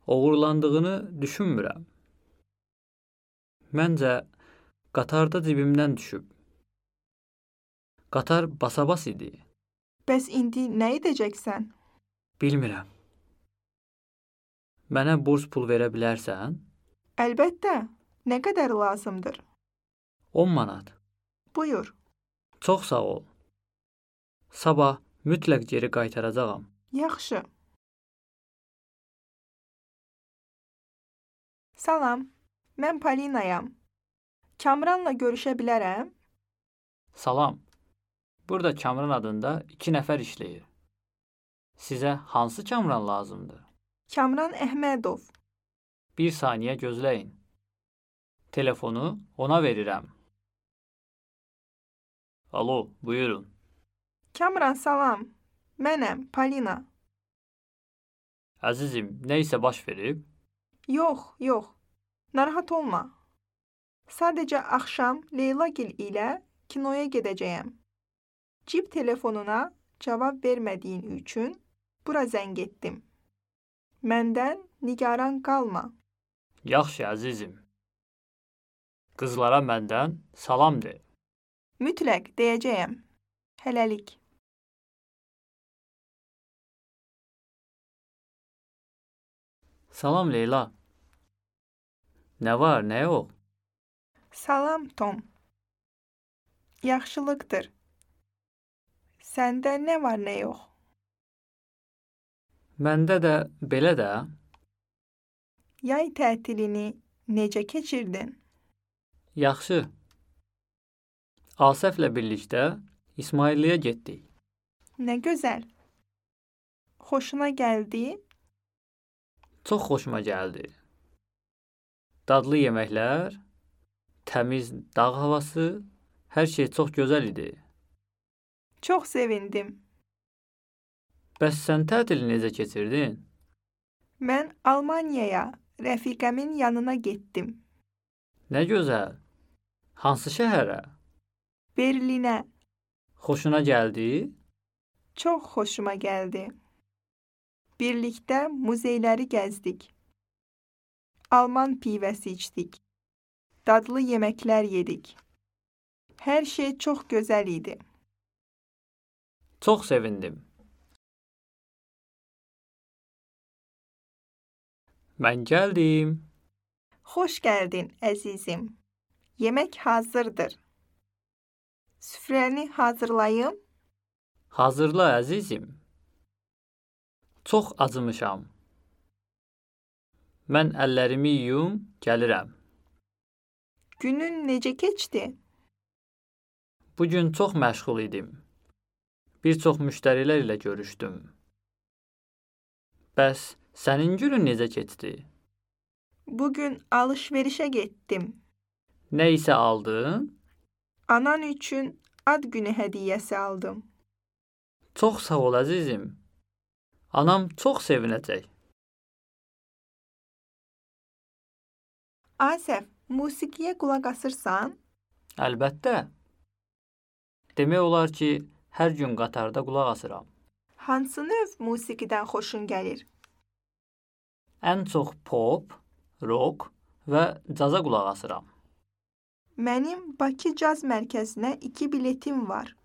oğurlandığını düşünmürəm. Məncə, qatarda cibimdən düşüb. Qatar basabas idi. Bəs indi nə edəcəksən? Bilmirəm. Mənə burs pul verə bilərsən? Əlbəttə. Nə qədər lazımdır? on manat. Buyur. Çox sağ ol. Sabah mütləq geri qaytaracağam. Yaxşı. Salam, mən Palinayam. Kamranla görüşə bilərəm? Salam. Burada Kamran adında iki nəfər işləyir. Sizə hansı Kamran lazımdır? Kamran Əhmədov. Bir saniyə gözləyin. Telefonu ona verirəm. Alo, buyurun. Kamran salam. Mənəm, Palina. Əzizim, nə isə baş verib? Yox, yox. Narahat olma. Sadəcə axşam Leylagil ilə kinoya gedəcəyəm. Cib telefonuna cavab vermədiyin üçün bura zəng etdim. Məndən nigaran qalma. Yaxşı, əzizim. Qızlara məndən salam de. Mütləq deyəcəyəm. Hələlik. Salam Leyla. Nə var, nə yox? Salam Tom. Yaxşılıqdır. Səndə nə var, nə yox? Məndə də belə də. Yay tətilini necə keçirdin? Yaxşı. Asəflə birlikdə İsmailliyə getdik. Nə gözəl. Xoşuna gəldi? Çox xoşuma gəldi. Dadlı yeməklər, təmiz dağ havası, hər şey çox gözəl idi. Çox sevindim. Bəs sən tətili necə keçirdin? Mən Almaniyaya, rəfiqəmin yanına getdim. Nə gözəl. Hansı şəhərə? Berlinə. Xoşuna gəldi? Çox xoşuma gəldi. Birlikdə muzeyləri gəzdik. Alman pivəsi içdik. Dadlı yeməklər yedik. Hər şey çox gözəl idi. Çox sevindim. Mən gəldim. Xoş gəldin, əzizim. Yemək hazırdır. Süfrəni hazırlayım. Hazırla, əzizim. Çox acımışam. Mən əllərimi yuyum, gəlirəm. Günün necə keçdi? Bugün çox məşğul idim. Bir çox müştərilər ilə görüşdüm. Bəs sənin günün necə keçdi? Bugün alış-verişə getdim. Nə isə aldın? Anan üçün ad günü hədiyyəsi aldım. Çox sağ ol, əzizim. Anam çox sevinəcək. Asəf, musiqiyə qulaq asırsan? Əlbəttə. Demək olar ki, hər gün qatarda qulaq asıram. Hansı növ musiqidən xoşun gəlir? Ən çox pop, rock və caza qulaq asıram. Mənim Bakı Caz Mərkəzinə iki biletim var.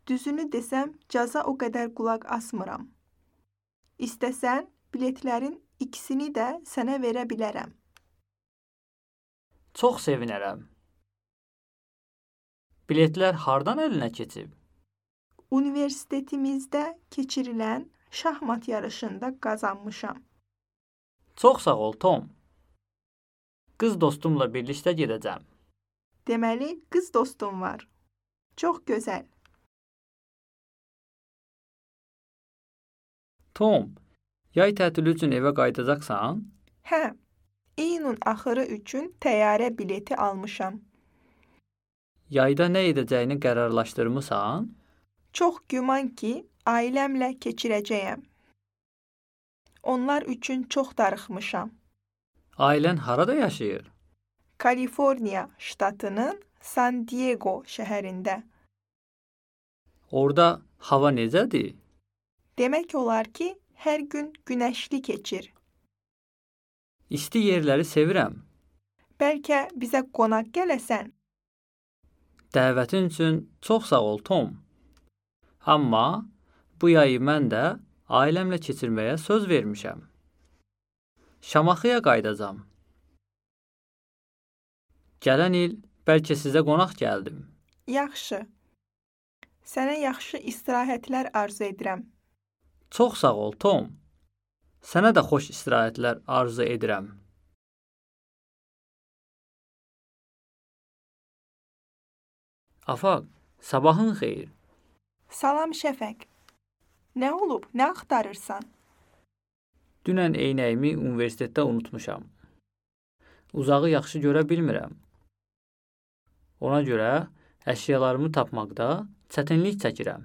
Düzünü desəm, caza o qədər qulaq asmıram. İstəsən, biletlərin ikisini də sənə verə bilərəm. Çox sevinərəm. Biletlər hardan əlinə keçib? Universitetimizdə keçirilən şahmat yarışında qazanmışam. Çox sağ ol, Tom. Qız dostumla birlikdə gedəcəm. Deməli, qız dostum var. Çox gözəl. Tom, yay tətili üçün evə qayıdacaqsan? Hə, iyunun axırı üçün təyyarə bileti almışam. Yayda nə edəcəyini qərarlaşdırmısan? Çox güman ki, ailəmlə keçirəcəyəm. Onlar üçün çox darıxmışam. Ailən harada yaşayır? Kaliforniya ştatının San Diego şəhərində. Orada hava necədir? Demək olar ki, hər gün günəşli keçir. İsti yerləri sevirəm. Bəlkə bizə qonaq gələsən? Dəvətin üçün çox sağ ol, Tom. Amma bu yayı mən də ailəmlə keçirməyə söz vermişəm. Şamaxıya qayıdacam. Gələn il bəlkə sizə qonaq gəldim. Yaxşı. Sənə yaxşı istirahətlər arzu edirəm. Çox sağ ol, Tom. Sənə də xoş istirahətlər arzu edirəm. Afaq, sabahın xeyir. Salam Şəfəq. Nə olub? Nə axtarırsan? Dünən eynəyimi universitetdə unutmuşam. Uzağı yaxşı görə bilmirəm. Ona görə əşyalarımı tapmaqda çətinlik çəkirəm.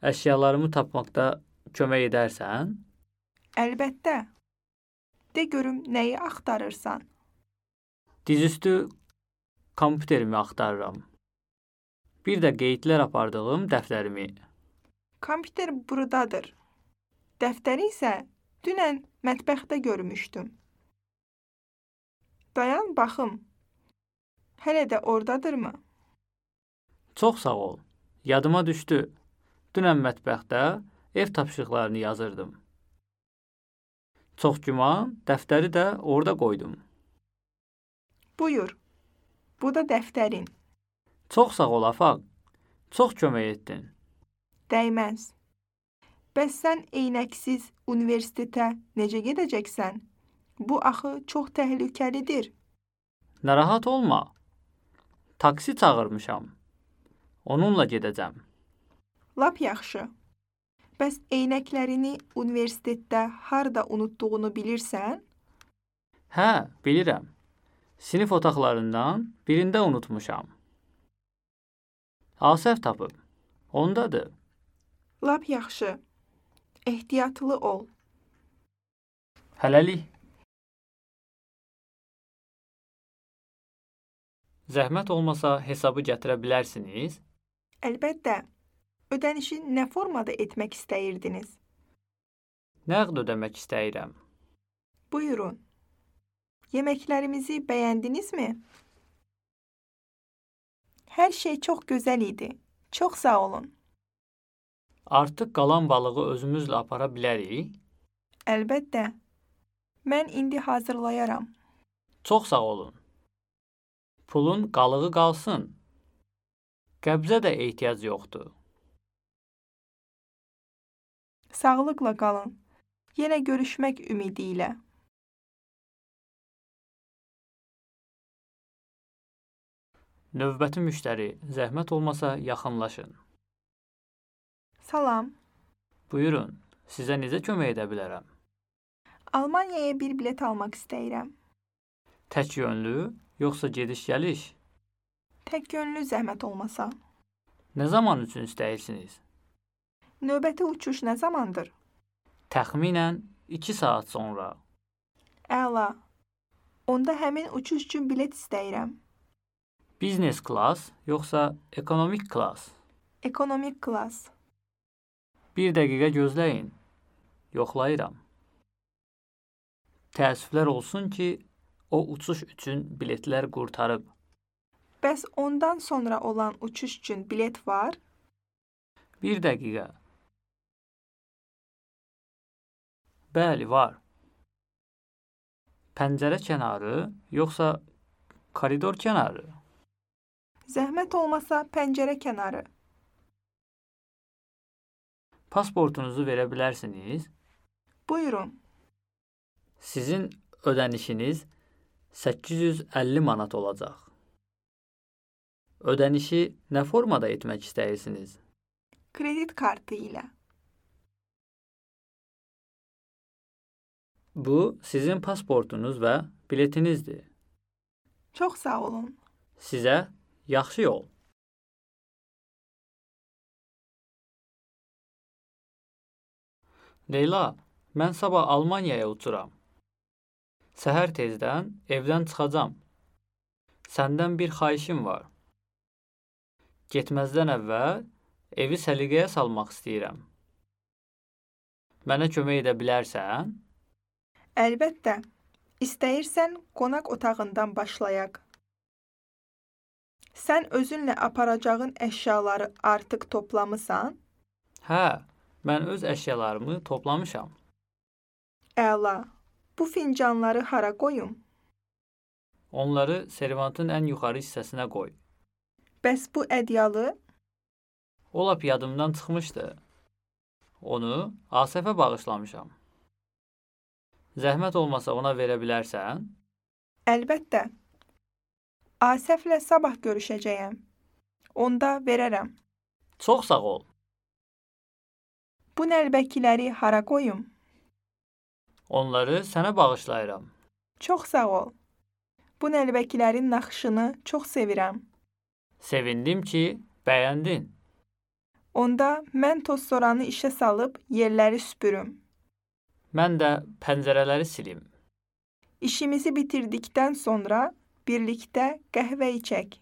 Əşyalarımı tapmaqda kömək edərsən? Əlbəttə. De görüm nəyi axtarırsan? Dizüstü kompüterimi axtarıram. Bir də qeydlər apardığım dəftərimi. Kompüter buradadır. Dəftəri isə dünən mətbəxdə görmüşdüm. Dayan baxım. Hələ də ordadırmı? Çox sağ ol. Yadıma düşdü. Dünən mətbəxdə ev tapşırıqlarını yazırdım. Çox güman, dəftəri də orada qoydum. Buyur. Bu da dəftərin. Çox sağ ol, Afaq. Çox kömək etdin. Dəyməz. Bəs sən eynəksiz universitetə necə gedəcəksən? Bu axı çox təhlükəlidir. Narahat olma. Taksi çağırmışam. Onunla gedəcəm. Lap yaxşı. Bəs eynəklərini universitetdə harda unutduğunu bilirsən? Hə, bilirəm. Sinif otaqlarından birində unutmuşam. Asəf tapıb. Ondadır. Lap yaxşı. Ehtiyatlı ol. Hələlik. Zəhmət olmasa hesabı gətirə bilərsiniz? Əlbəttə. Ödənişi nə formada etmək istəyirdiniz? Nəqd ödəmək istəyirəm. Buyurun. Yeməklərimizi bəyəndinizmi? Hər şey çox gözəl idi. Çox sağ olun. Artıq qalan balığı özümüzlə apara bilərik? Əlbəttə. Mən indi hazırlayaram. Çox sağ olun. Pulun qalığı qalsın. Qəbzə də ehtiyac yoxdur. Sağlıqla qalın. Yenə görüşmək ümidi ilə. Növbəti müştəri, zəhmət olmasa yaxınlaşın. Salam. Buyurun, sizə necə kömək edə bilərəm? Almaniyaya bir bilet almaq istəyirəm. Tək yönlü, yoxsa gediş-gəliş? Tək yönlü zəhmət olmasa. Nə zaman üçün istəyirsiniz? Növbəti uçuş nə zamandır? Təxminən iki saat sonra. Əla. Onda həmin uçuş üçün bilet istəyirəm. Biznes klass, yoxsa ekonomik klass? Ekonomik klass. Bir dəqiqə gözləyin. Yoxlayıram. Təəssüflər olsun ki, o uçuş üçün biletlər qurtarıb. Bəs ondan sonra olan uçuş üçün bilet var? Bir dəqiqə. Bəli, var. Pəncərə kənarı, yoxsa koridor kənarı? Zəhmət olmasa pəncərə kənarı. Pasportunuzu verə bilərsiniz? Buyurun. Sizin ödənişiniz səkkiz yüz əlli manat olacaq. Ödənişi nə formada etmək istəyirsiniz? Kredit kartı ilə. Bu, sizin pasportunuz və biletinizdir. Çox sağ olun. Sizə yaxşı yol. Leyla, mən sabah Almaniyaya uçuram. Səhər tezdən evdən çıxacam. Səndən bir xahişim var. Getməzdən əvvəl evi səliqəyə salmaq istəyirəm. Mənə kömək edə bilərsən? Əlbəttə. İstəyirsən qonaq otağından başlayaq. Sən özünlə aparacağın əşyaları artıq toplamısan? Hə, mən öz əşyalarımı toplamışam. Əla. Bu fincanları hara qoyum? Onları servantın ən yuxarı hissəsinə qoy. Bəs bu ədyalı? O lap yadımdan çıxmışdı. Onu Asəfə bağışlamışam. Zəhmət olmasa ona verə bilərsən? Əlbəttə. Asəflə sabah görüşəcəyəm. Onda verərəm. Çox sağ ol. Bu nəlbəkiləri hara qoyum? Onları sənə bağışlayıram. Çox sağ ol. Bu nəlbəkilərin naxışını çox sevirəm. Sevindim ki, bəyəndin. Onda mən tozsoranı işə salıb yerləri süpürüm. Mən də pəncərələri silim. İşimizi bitirdikdən sonra birlikdə qəhvə içək.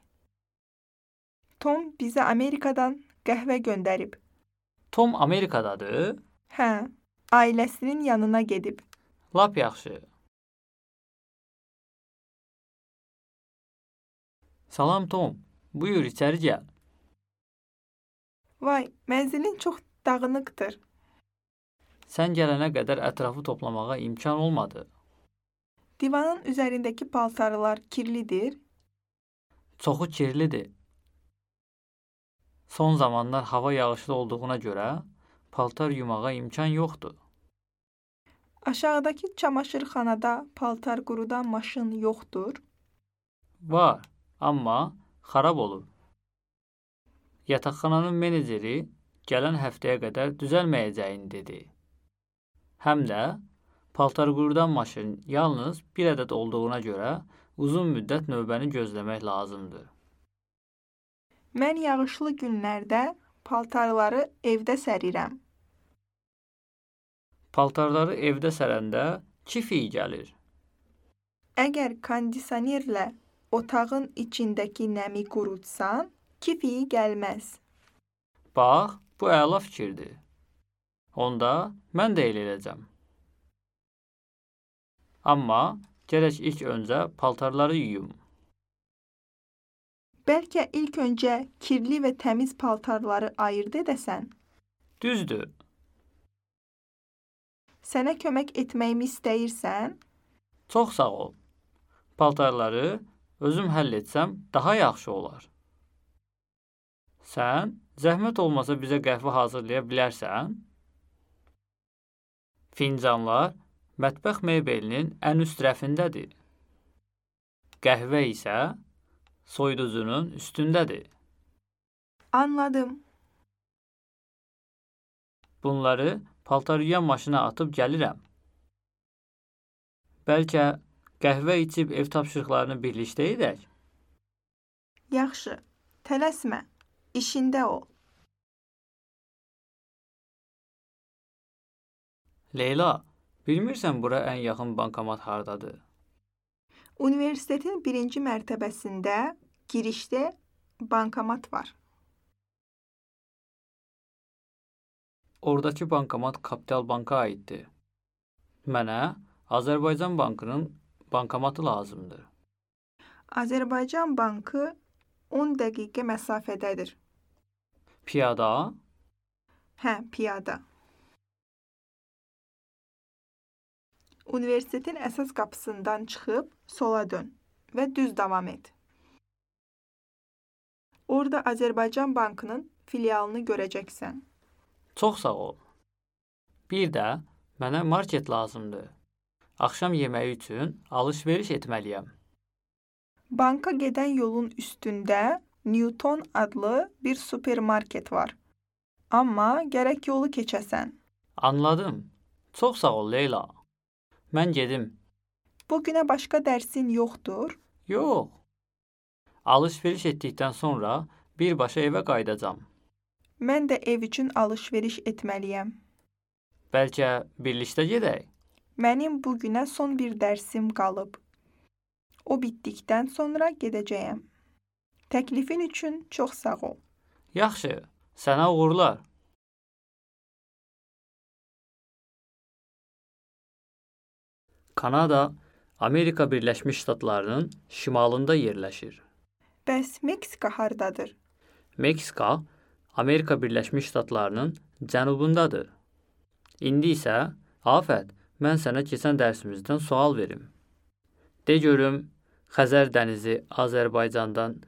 Tom bizə Amerikadan qəhvə göndərib. Tom Amerikadadır? Hə, ailəsinin yanına gedib. Lap yaxşı. Salam Tom, buyur içəri gəl. Vay, mənzilin çox dağınıqdır. Sən gələnə qədər ətrafı toplamağa imkan olmadı. Divanın üzərindəki paltarlar kirlidir. Çoxu kirlidir. Son zamanlar hava yağışlı olduğuna görə paltar yumağa imkan yoxdur. Aşağıdakı çamaşırxanada paltar qurudan maşın yoxdur. Var, amma xarab olub. Yataqxananın meneceri gələn həftəyə qədər düzəlməyəcəyini dedi. Həm də paltar qurudan maşın yalnız bir ədəd olduğuna görə uzun müddət növbəni gözləmək lazımdır. Mən yağışlı günlərdə paltarları evdə sərirəm. Paltarları evdə sərəndə kif iyi gəlir. Əgər kondisionerlə otağın içindəki nəmi qurutsan, kif iyi gəlməz. Bax, bu əla fikirdir. Onda mən də elə edəcəm. Amma gərək ilk öncə paltarları yuyum. Bəlkə ilk öncə kirli və təmiz paltarları ayırd edəsən. Düzdür. Sənə kömək etməyimi istəyirsən? Çox sağ ol. Paltarları özüm həll etsəm daha yaxşı olar. Sən zəhmət olmasa bizə qəhvə hazırlaya bilərsən? Fincanlar mətbəx mebelinin ən üst rəfindədir. Qəhvə isə soyuducunun üstündədir. Anladım. Bunları paltar yuyan maşına atıb gəlirəm. Bəlkə qəhvə içib ev tapşırıqlarını birlikdə edək? Yaxşı, tələsmə, işində ol. Leyla, bilmirsən bura ən yaxın bankomat hardadır? Universitetin birinci mərtəbəsində girişdə bankomat var. Oradakı bankomat Kapital Banka aiddir. Mənə Azərbaycan Bankının bankomatı lazımdır. Azərbaycan Bankı on dəqiqə məsafədədir. Piyada? Hə, piyada. Universitetin əsas qapısından çıxıb sola dön və düz davam et. Orada Azərbaycan Bankının filialını görəcəksən. Çox sağ ol. Bir də mənə market lazımdır. Axşam yeməyi üçün alış-veriş etməliyəm. Banka gedən yolun üstündə Newton adlı bir supermarket var. Amma gərək yolu keçəsən. Anladım. Çox sağ ol Leyla. Mən gedim. Bugünə başqa dərsin yoxdur? Yox. Alış-veriş etdikdən sonra birbaşa evə qayıdacam. Mən də ev üçün alış-veriş etməliyəm. Bəlkə birlikdə gedək? Mənim bugünə son bir dərsim qalıb. O bitdikdən sonra gedəcəyəm. Təklifin üçün çox sağ ol. Yaxşı, sənə uğurlar. Kanada, Amerika Birləşmiş Ştatlarının şimalında yerləşir. Bəs Meksika hardadır? Meksika, Amerika Birləşmiş Ştatlarının cənubundadır. İndi isə, Afət, mən sənə keçən dərsimizdən sual verim. De görüm, Xəzər dənizi Azərbaycandan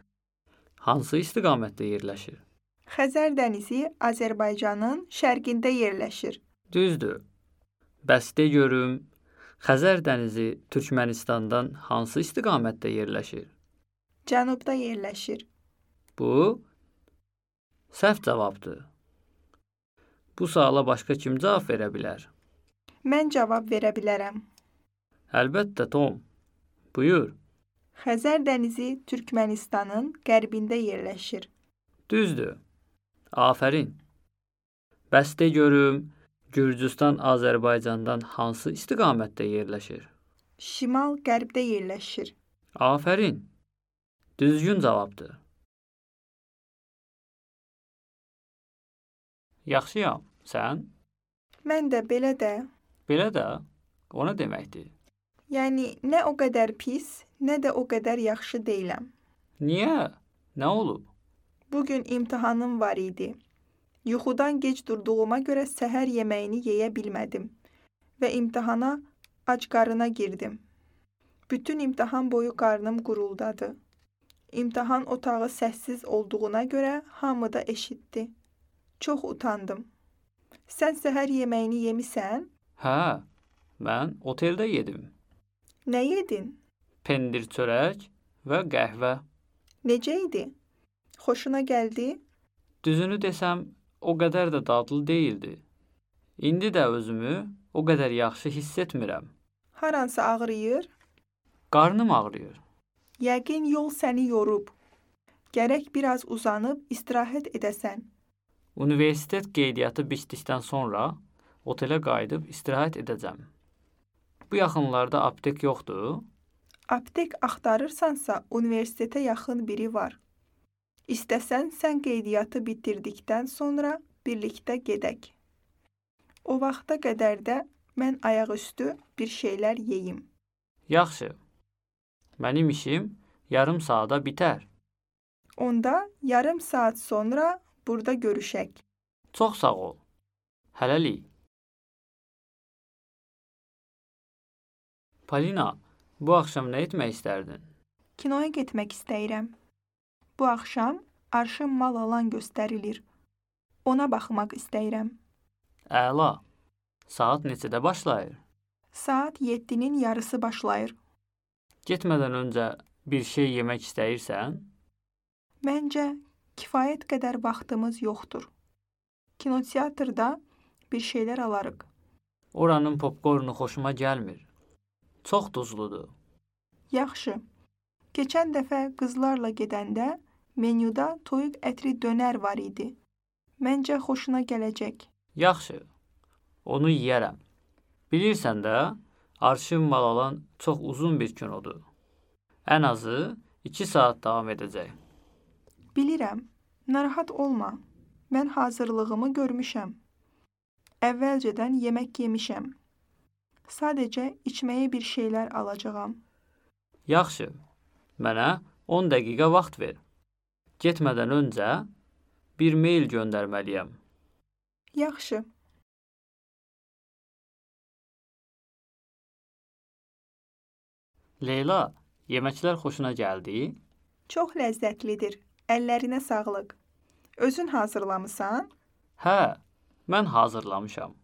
hansı istiqamətdə yerləşir? Xəzər dənizi Azərbaycanın şərqində yerləşir. Düzdür. Bəs de görüm, Xəzər dənizi Türkmənistandan hansı istiqamətdə yerləşir? Cənubda yerləşir. Bu səhv cavabdır. Bu suala başqa kim cavab verə bilər? Mən cavab verə bilərəm. Əlbəttə, Tom. Buyur. Xəzər dənizi Türkmənistanın qərbində yerləşir. Düzdür. Afərin. Bəs de görüm, Gürcüstan Azərbaycandan hansı istiqamətdə yerləşir? Şimal-qərbdə yerləşir. Afərin. Düzgün cavabdır. Yaxşıyam. Sən? Mən də belə də. Belə də? O nə deməkdir? Yəni, nə o qədər pis, nə də o qədər yaxşı deyiləm. Niyə? Nə olub? Bugün imtahanım var idi. Yuxudan gec durduğuma görə səhər yeməyini yeyə bilmədim və imtahana ac qarına girdim. Bütün imtahan boyu qarnım quruldadı. İmtahan otağı səssiz olduğuna görə hamı da eşitdi. Çox utandım. Sən səhər yeməyini yemisən? Hə, mən oteldə yedim. Nə yedin? Pendir çörək və qəhvə. Necə idi? Xoşuna gəldi? Düzünü desəm, o qədər də dadlı deyildi. İndi də özümü o qədər yaxşı hiss etmirəm. Haransı ağrıyır? Qarnım ağrıyır. Yəqin yol səni yorub. Gərək biraz uzanıb istirahət edəsən. Universitet qeydiyyatı bitdikdən sonra otelə qayıdıb istirahət edəcəm. Bu yaxınlarda aptek yoxdur? Aptek axtarırsansa, universitetə yaxın biri var. İstəsən, sən qeydiyyatı bitirdikdən sonra birlikdə gedək. O vaxta qədər də mən ayaqüstü bir şeylər yeyim. Yaxşı. Mənim işim yarım saata bitər. Onda yarım saat sonra burada görüşək. Çox sağ ol. Hələlik. Polina, bu axşam nə etmək istərdin? Kinoya getmək istəyirəm. Bu axşam Arşın Mal Alan göstərilir. Ona baxmaq istəyirəm. Əla. Saat neçədə başlayır? Saat yeddinin yarısı başlayır. Getmədən öncə bir şey yemək istəyirsən? Məncə, kifayət qədər vaxtımız yoxdur. Kinoteatrda bir şeylər alarıq. Oranın popkornu xoşuma gəlmir. Çox duzludur. Yaxşı. Keçən dəfə qızlarla gedəndə menyuda toyuq ətri dönər var idi. Məncə xoşuna gələcək. Yaxşı. Onu yeyərəm. Bilirsən də, Arşın Mal Alan çox uzun bir kinodur. Ən azı iki saat davam edəcək. Bilirəm. Narahat olma. Mən hazırlığımı görmüşəm. Əvvəlcədən yemək yemişəm. Sadəcə içməyə bir şeylər alacağam. Yaxşı. Mənə on dəqiqə vaxt ver. Getmədən öncə bir mail göndərməliyəm. Yaxşı. Leyla, yeməklər xoşuna gəldi? Çox ləzzətlidir. Əllərinə sağlıq. Özün hazırlamısan? Hə, mən hazırlamışam.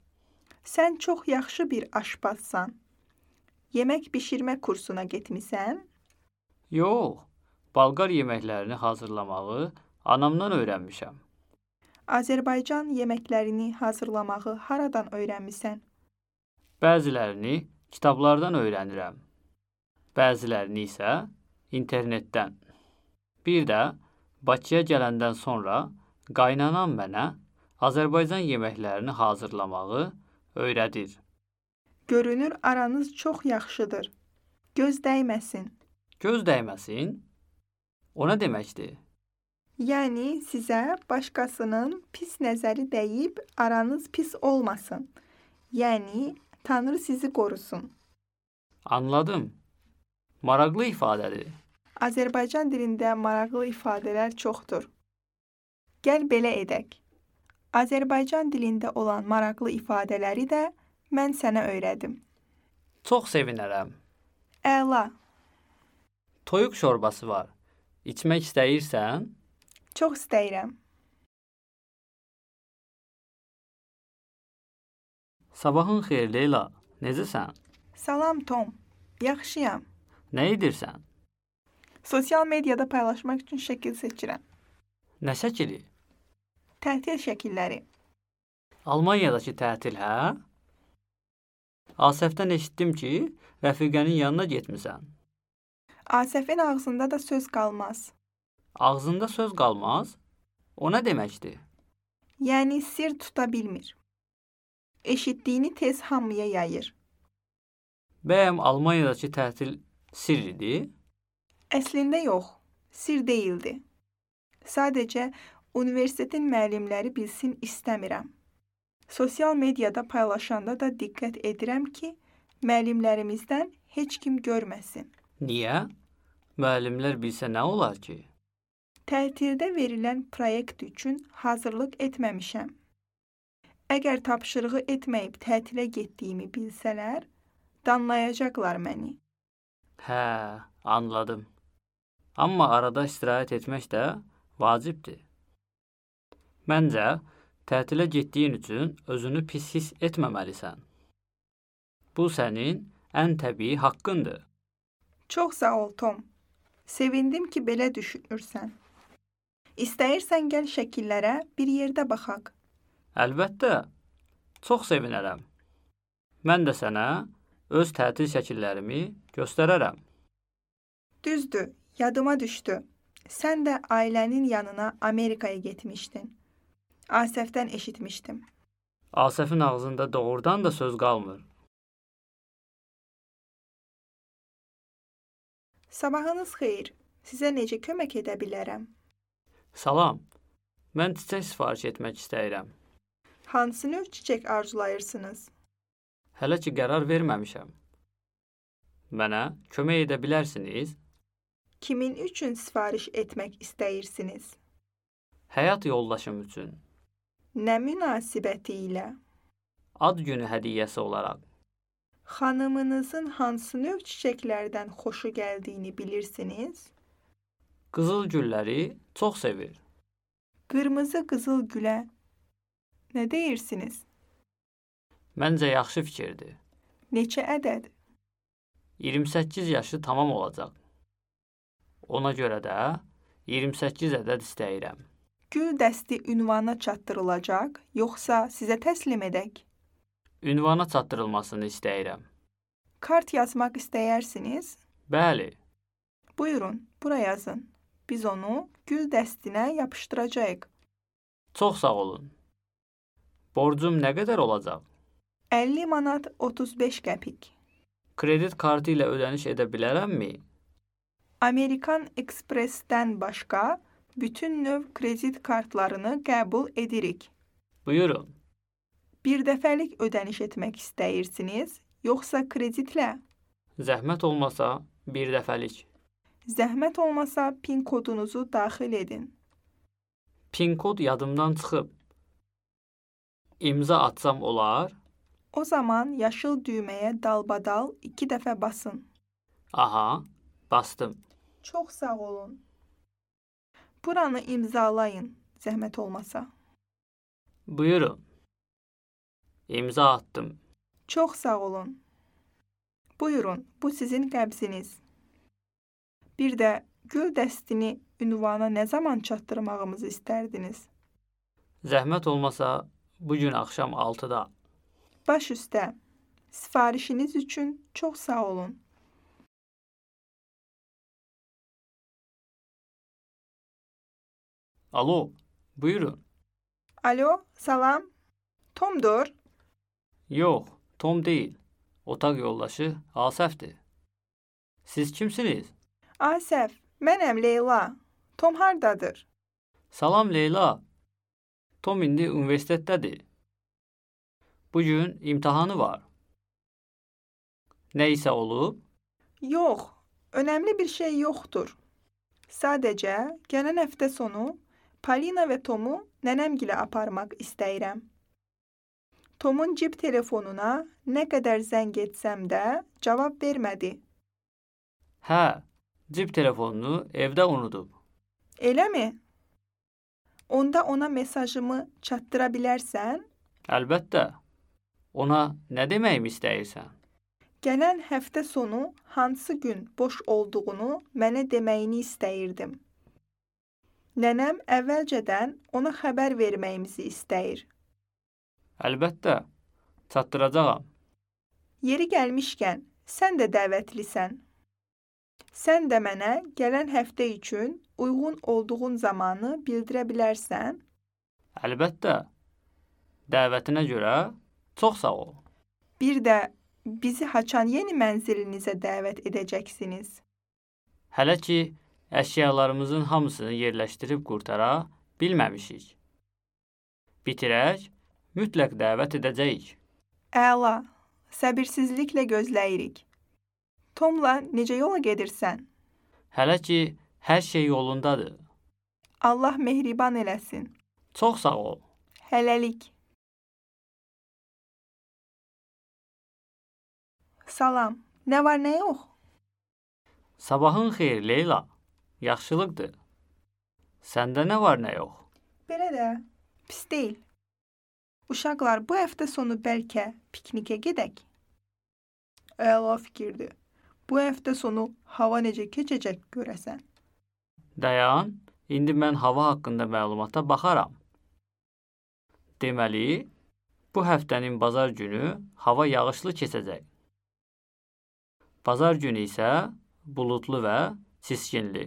Sən çox yaxşı bir aşpazsan. Yemək bişirmə kursuna getmisən? Yox, Balqar yeməklərini hazırlamağı anamdan öyrənmişəm. Azərbaycan yeməklərini hazırlamağı haradan öyrənmisən? Bəzilərini kitablardan öyrənirəm. Bəzilərini isə internetdən. Bir də Bakıya gələndən sonra qaynanam mənə Azərbaycan yeməklərini hazırlamağı öyrədir. Görünür aranız çox yaxşıdır. Göz dəyməsin. Göz dəyməsin? O nə deməkdir? Yəni sizə başqasının pis nəzəri dəyib aranız pis olmasın. Yəni Tanrı sizi qorusun. Anladım. Maraqlı ifadədir. Azərbaycan dilində maraqlı ifadələr çoxdur. Gəl belə edək. Azərbaycan dilində olan maraqlı ifadələri də mən sənə öyrədim. Çox sevinərəm. Əla. Toyuq şorbası var. İçmək istəyirsən? Çox istəyirəm. Sabahın xeyir Leyla. Necəsən? Salam Tom. Yaxşıyam. Nə edirsən? Sosial mediada paylaşmaq üçün şəkil seçirəm. Nə şəkili? Tətil şəkilləri. Almaniyadakı tətil, hə? Asəfdən eşitdim ki, rəfiqənin yanına getmisən. Asəfin ağzında da söz qalmaz. Ağzında söz qalmaz? O nə deməkdir? Yəni sir tuta bilmir. Eşitdiyini tez hamıya yayır. Bəyəm Almaniyadakı tətil sir idi? Əslində yox, sir deyildi. Sadəcə universitetin müəllimləri bilsin istəmirəm. Sosial mediada paylaşanda da diqqət edirəm ki, müəllimlərimizdən heç kim görməsin. Niyə? Müəllimlər bilsə nə olar ki? Tətildə verilən proyekt üçün hazırlıq etməmişəm. Əgər tapşırığı etməyib tətilə getdiyimi bilsələr, danlayacaqlar məni. Hə, anladım. Amma arada istirahət etmək də vacibdir. Məncə, tətilə getdiyin üçün özünü pis hiss etməməlisən. Bu sənin ən təbii haqqındır. Çox sağ ol, Tom. Sevindim ki, belə düşünürsən. İstəyirsən gəl şəkillərə bir yerdə baxaq. Əlbəttə, çox sevinərəm. Mən də sənə öz tətil şəkillərimi göstərərəm. Düzdür, yadıma düşdü. Sən də ailənin yanına Amerikaya getmişdin. Asəfdən eşitmişdim. Asəfin ağzında doğrudan da söz qalmır. Sabahınız xeyir. Sizə necə kömək edə bilərəm? Salam, mən çiçək sifariş etmək istəyirəm. Hansı növ çiçək arzulayırsınız? Hələ ki qərar verməmişəm. Mənə kömək edə bilərsiniz? Kimin üçün sifariş etmək istəyirsiniz? Həyat yoldaşım üçün. Nə münasibəti ilə? Ad günü hədiyyəsi olaraq. Xanımınızın hansı növ çiçəklərdən xoşu gəldiyini bilirsiniz? Qızıl gülləri çox sevir. Qırmızı qızıl gülə nə deyirsiniz? Məncə yaxşı fikirdir. Neçə ədəd? iyirmi səkkiz yaşı tamam olacaq. Ona görə də iyirmi səkkiz ədəd istəyirəm. Gül dəsti ünvana çatdırılacaq, yoxsa sizə təslim edək? Ünvana çatdırılmasını istəyirəm. Kart yazmaq istəyirsiniz? Bəli. Buyurun, bura yazın. Biz onu gül dəstinə yapışdıracağıq. Çox sağ olun. Borcum nə qədər olacaq? əlli manat otuz beş qəpik. Kredit kartı ilə ödəniş edə bilərəmmi? Amerikan Express-dən başqa bütün növ kredit kartlarını qəbul edirik. Buyurun. Bir dəfəlik ödəniş etmək istəyirsiniz, yoxsa kreditlə? Zəhmət olmasa bir dəfəlik. Zəhmət olmasa pin kodunuzu daxil edin. Pin kod yadımdan çıxıb. İmza atsam olar? O zaman yaşıl düyməyə dalbadal iki dəfə basın. Aha, bastım. Çox sağ olun. Buranı imzalayın, zəhmət olmasa. Buyurun. İmza attım. Çox sağ olun. Buyurun, bu sizin qəbziniz. Bir də gül dəstini ünvana nə zaman çatdırmağımızı istərdiniz? Zəhmət olmasa bu gün axşam altıda. Baş üstə. Sifarişiniz üçün çox sağ olun. Alo, buyurun. Alo, salam. Tomdur. Yox, Tom deyil. Otaq yoldaşı Asəfdir. Siz kimsiniz? Asəf, mənəm Leyla. Tom hardadır? Salam Leyla. Tom indi universitetdədir. Bugün imtahanı var. Nə isə olub? Yox, önəmli bir şey yoxdur. Sadəcə gələn həftə sonu Polina və Tomu nənəmgilə aparmaq istəyirəm. Tomun cib telefonuna nə qədər zəng etsəm də cavab vermədi. Hə, cib telefonunu evdə unudub. Eləmi? Onda ona mesajımı çatdıra bilərsən? Əlbəttə. Ona nə deməyimi istəyirsən? Gələn həftə sonu hansı gün boş olduğunu mənə deməyini istəyirdim. Nənəm əvvəlcədən ona xəbər verməyimizi istəyir. Əlbəttə, çatdıracağam. Yeri gəlmişkən, sən də dəvətlisən. Sən də mənə gələn həftə üçün uyğun olduğun zamanı bildirə bilərsən. Əlbəttə, dəvətinə görə çox sağ ol. Bir də bizi Haçan yeni mənzilinizə dəvət edəcəksiniz. Hələ ki, əşyalarımızın hamısını yerləşdirib qurtara bilməmişik. Bitirək, mütləq dəvət edəcəyik. Əla, səbirsizliklə gözləyirik. Tomla necə yola gedirsən? Hələ ki, hər şey yolundadır. Allah mehriban eləsin. Çox sağ ol. Hələlik. Salam, nə var, nə yox? Sabahın xeyir, Leyla. Yaxşılıqdır. Səndə nə var, nə yox? Belə də, pis deyil. Uşaqlar, bu həftə sonu bəlkə piknikə gedək. Əla fikirdir. Bu həftə sonu hava necə keçəcək görəsən? Dayan, indi mən hava haqqında məlumata baxaram. Deməli, bu həftənin bazar günü hava yağışlı keçəcək. Bazar günü isə buludlu və çiskinli.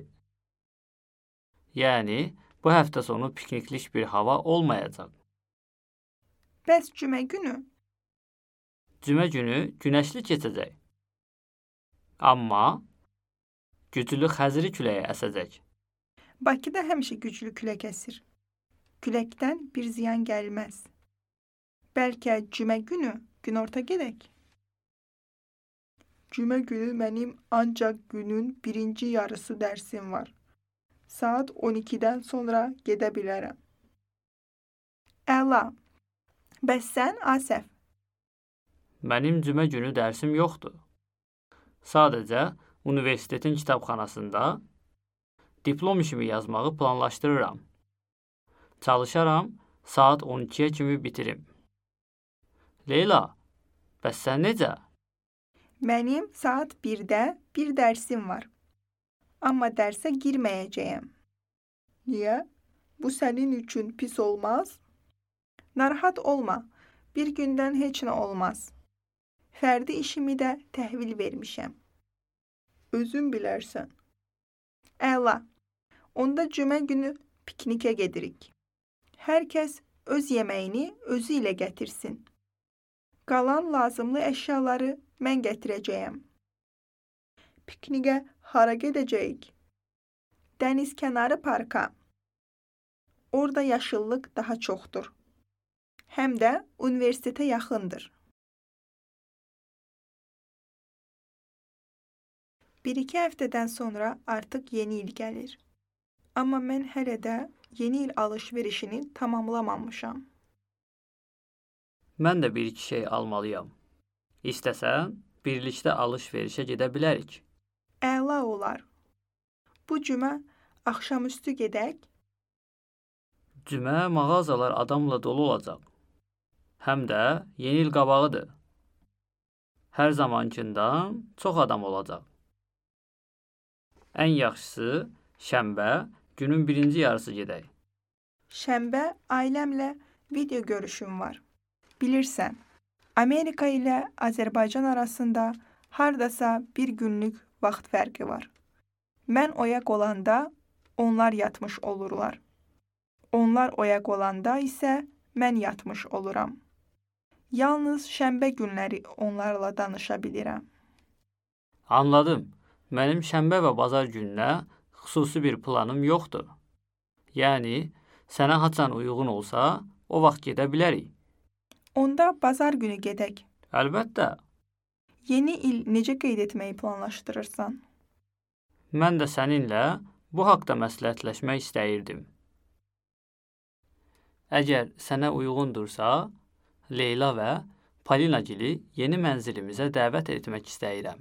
Yəni, bu həftə sonu pikniklik bir hava olmayacaq. Bəs cümə günü? Cümə günü günəşli keçəcək. Amma güclü xəzri küləyi əsəcək. Bakıda həmişə güclü külək əsir. Küləkdən bir ziyan gəlməz. Bəlkə cümə günü günorta gedək. Cümə günü mənim ancaq günün birinci yarısı dərsim var. Saat on ikidən sonra gedə bilərəm. Əla. Bəs sən, Asəf? Mənim cümə günü dərsim yoxdur. Sadəcə universitetin kitabxanasında diplom işimi yazmağı planlaşdırıram. Çalışaram, saat on ikiyə kimi bitirim. Leyla, bəs sən necə? Mənim saat birdə bir dərsim var. Amma dərsə girməyəcəyəm. Niyə? Bu sənin üçün pis olmaz? Narahat olma. Bir gündən heç nə olmaz. Fərdi işimi də təhvil vermişəm. Özün bilərsən. Əla. Onda cümə günü piknikə gedirik. Hər kəs öz yeməyini özü ilə gətirsin. Qalan lazımlı əşyaları mən gətirəcəyəm. Piknikə hara gedəcəyik? Dəniz kənarı parka. Orada yaşıllıq daha çoxdur. Həm də universitetə yaxındır. Bir-iki həftədən sonra artıq yeni il gəlir. Amma mən hələ də yeni il alış-verişini tamamlamamışam. Mən də bir-iki şey almalıyam. İstəsən, birlikdə alış-verişə gedə bilərik. Əla olar. Bu cümə axşamüstü gedək. Cümə mağazalar adamla dolu olacaq. Həm də yeni il qabağıdır. Hər zamankindən çox adam olacaq. Ən yaxşısı şənbə günün birinci yarısı gedək. Şənbə ailəmlə video görüşüm var. Bilirsən, Amerika ilə Azərbaycan arasında hardasa bir günlük vaxt fərqi var. Mən oyaq olanda onlar yatmış olurlar. Onlar oyaq olanda isə mən yatmış oluram. Yalnız şənbə günləri onlarla danışa bilirəm. Anladım. Mənim şənbə və bazar gününə xüsusi bir planım yoxdur. Yəni, sənə haçan uyğun olsa, o vaxt gedə bilərik. Onda bazar günü gedək. Əlbəttə. Yeni il necə qeyd etməyi planlaşdırırsan? Mən də səninlə bu haqda məsləhətləşmək istəyirdim. Əgər sənə uyğundursa, Leyla və Palinagili yeni mənzilimizə dəvət etmək istəyirəm.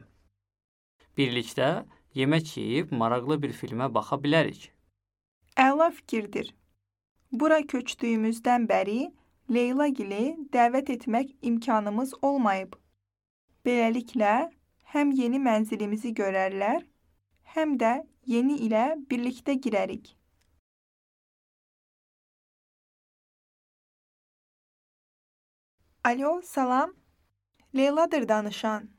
Birlikdə yemək yeyib maraqlı bir filmə baxa bilərik. Əla fikirdir. Bura köçdüyümüzdən bəri Leylagili dəvət etmək imkanımız olmayıb. Beləliklə, həm yeni mənzilimizi görərlər, həm də yeni ilə birlikdə girərik. Alo, salam. Leyla'dır danışan.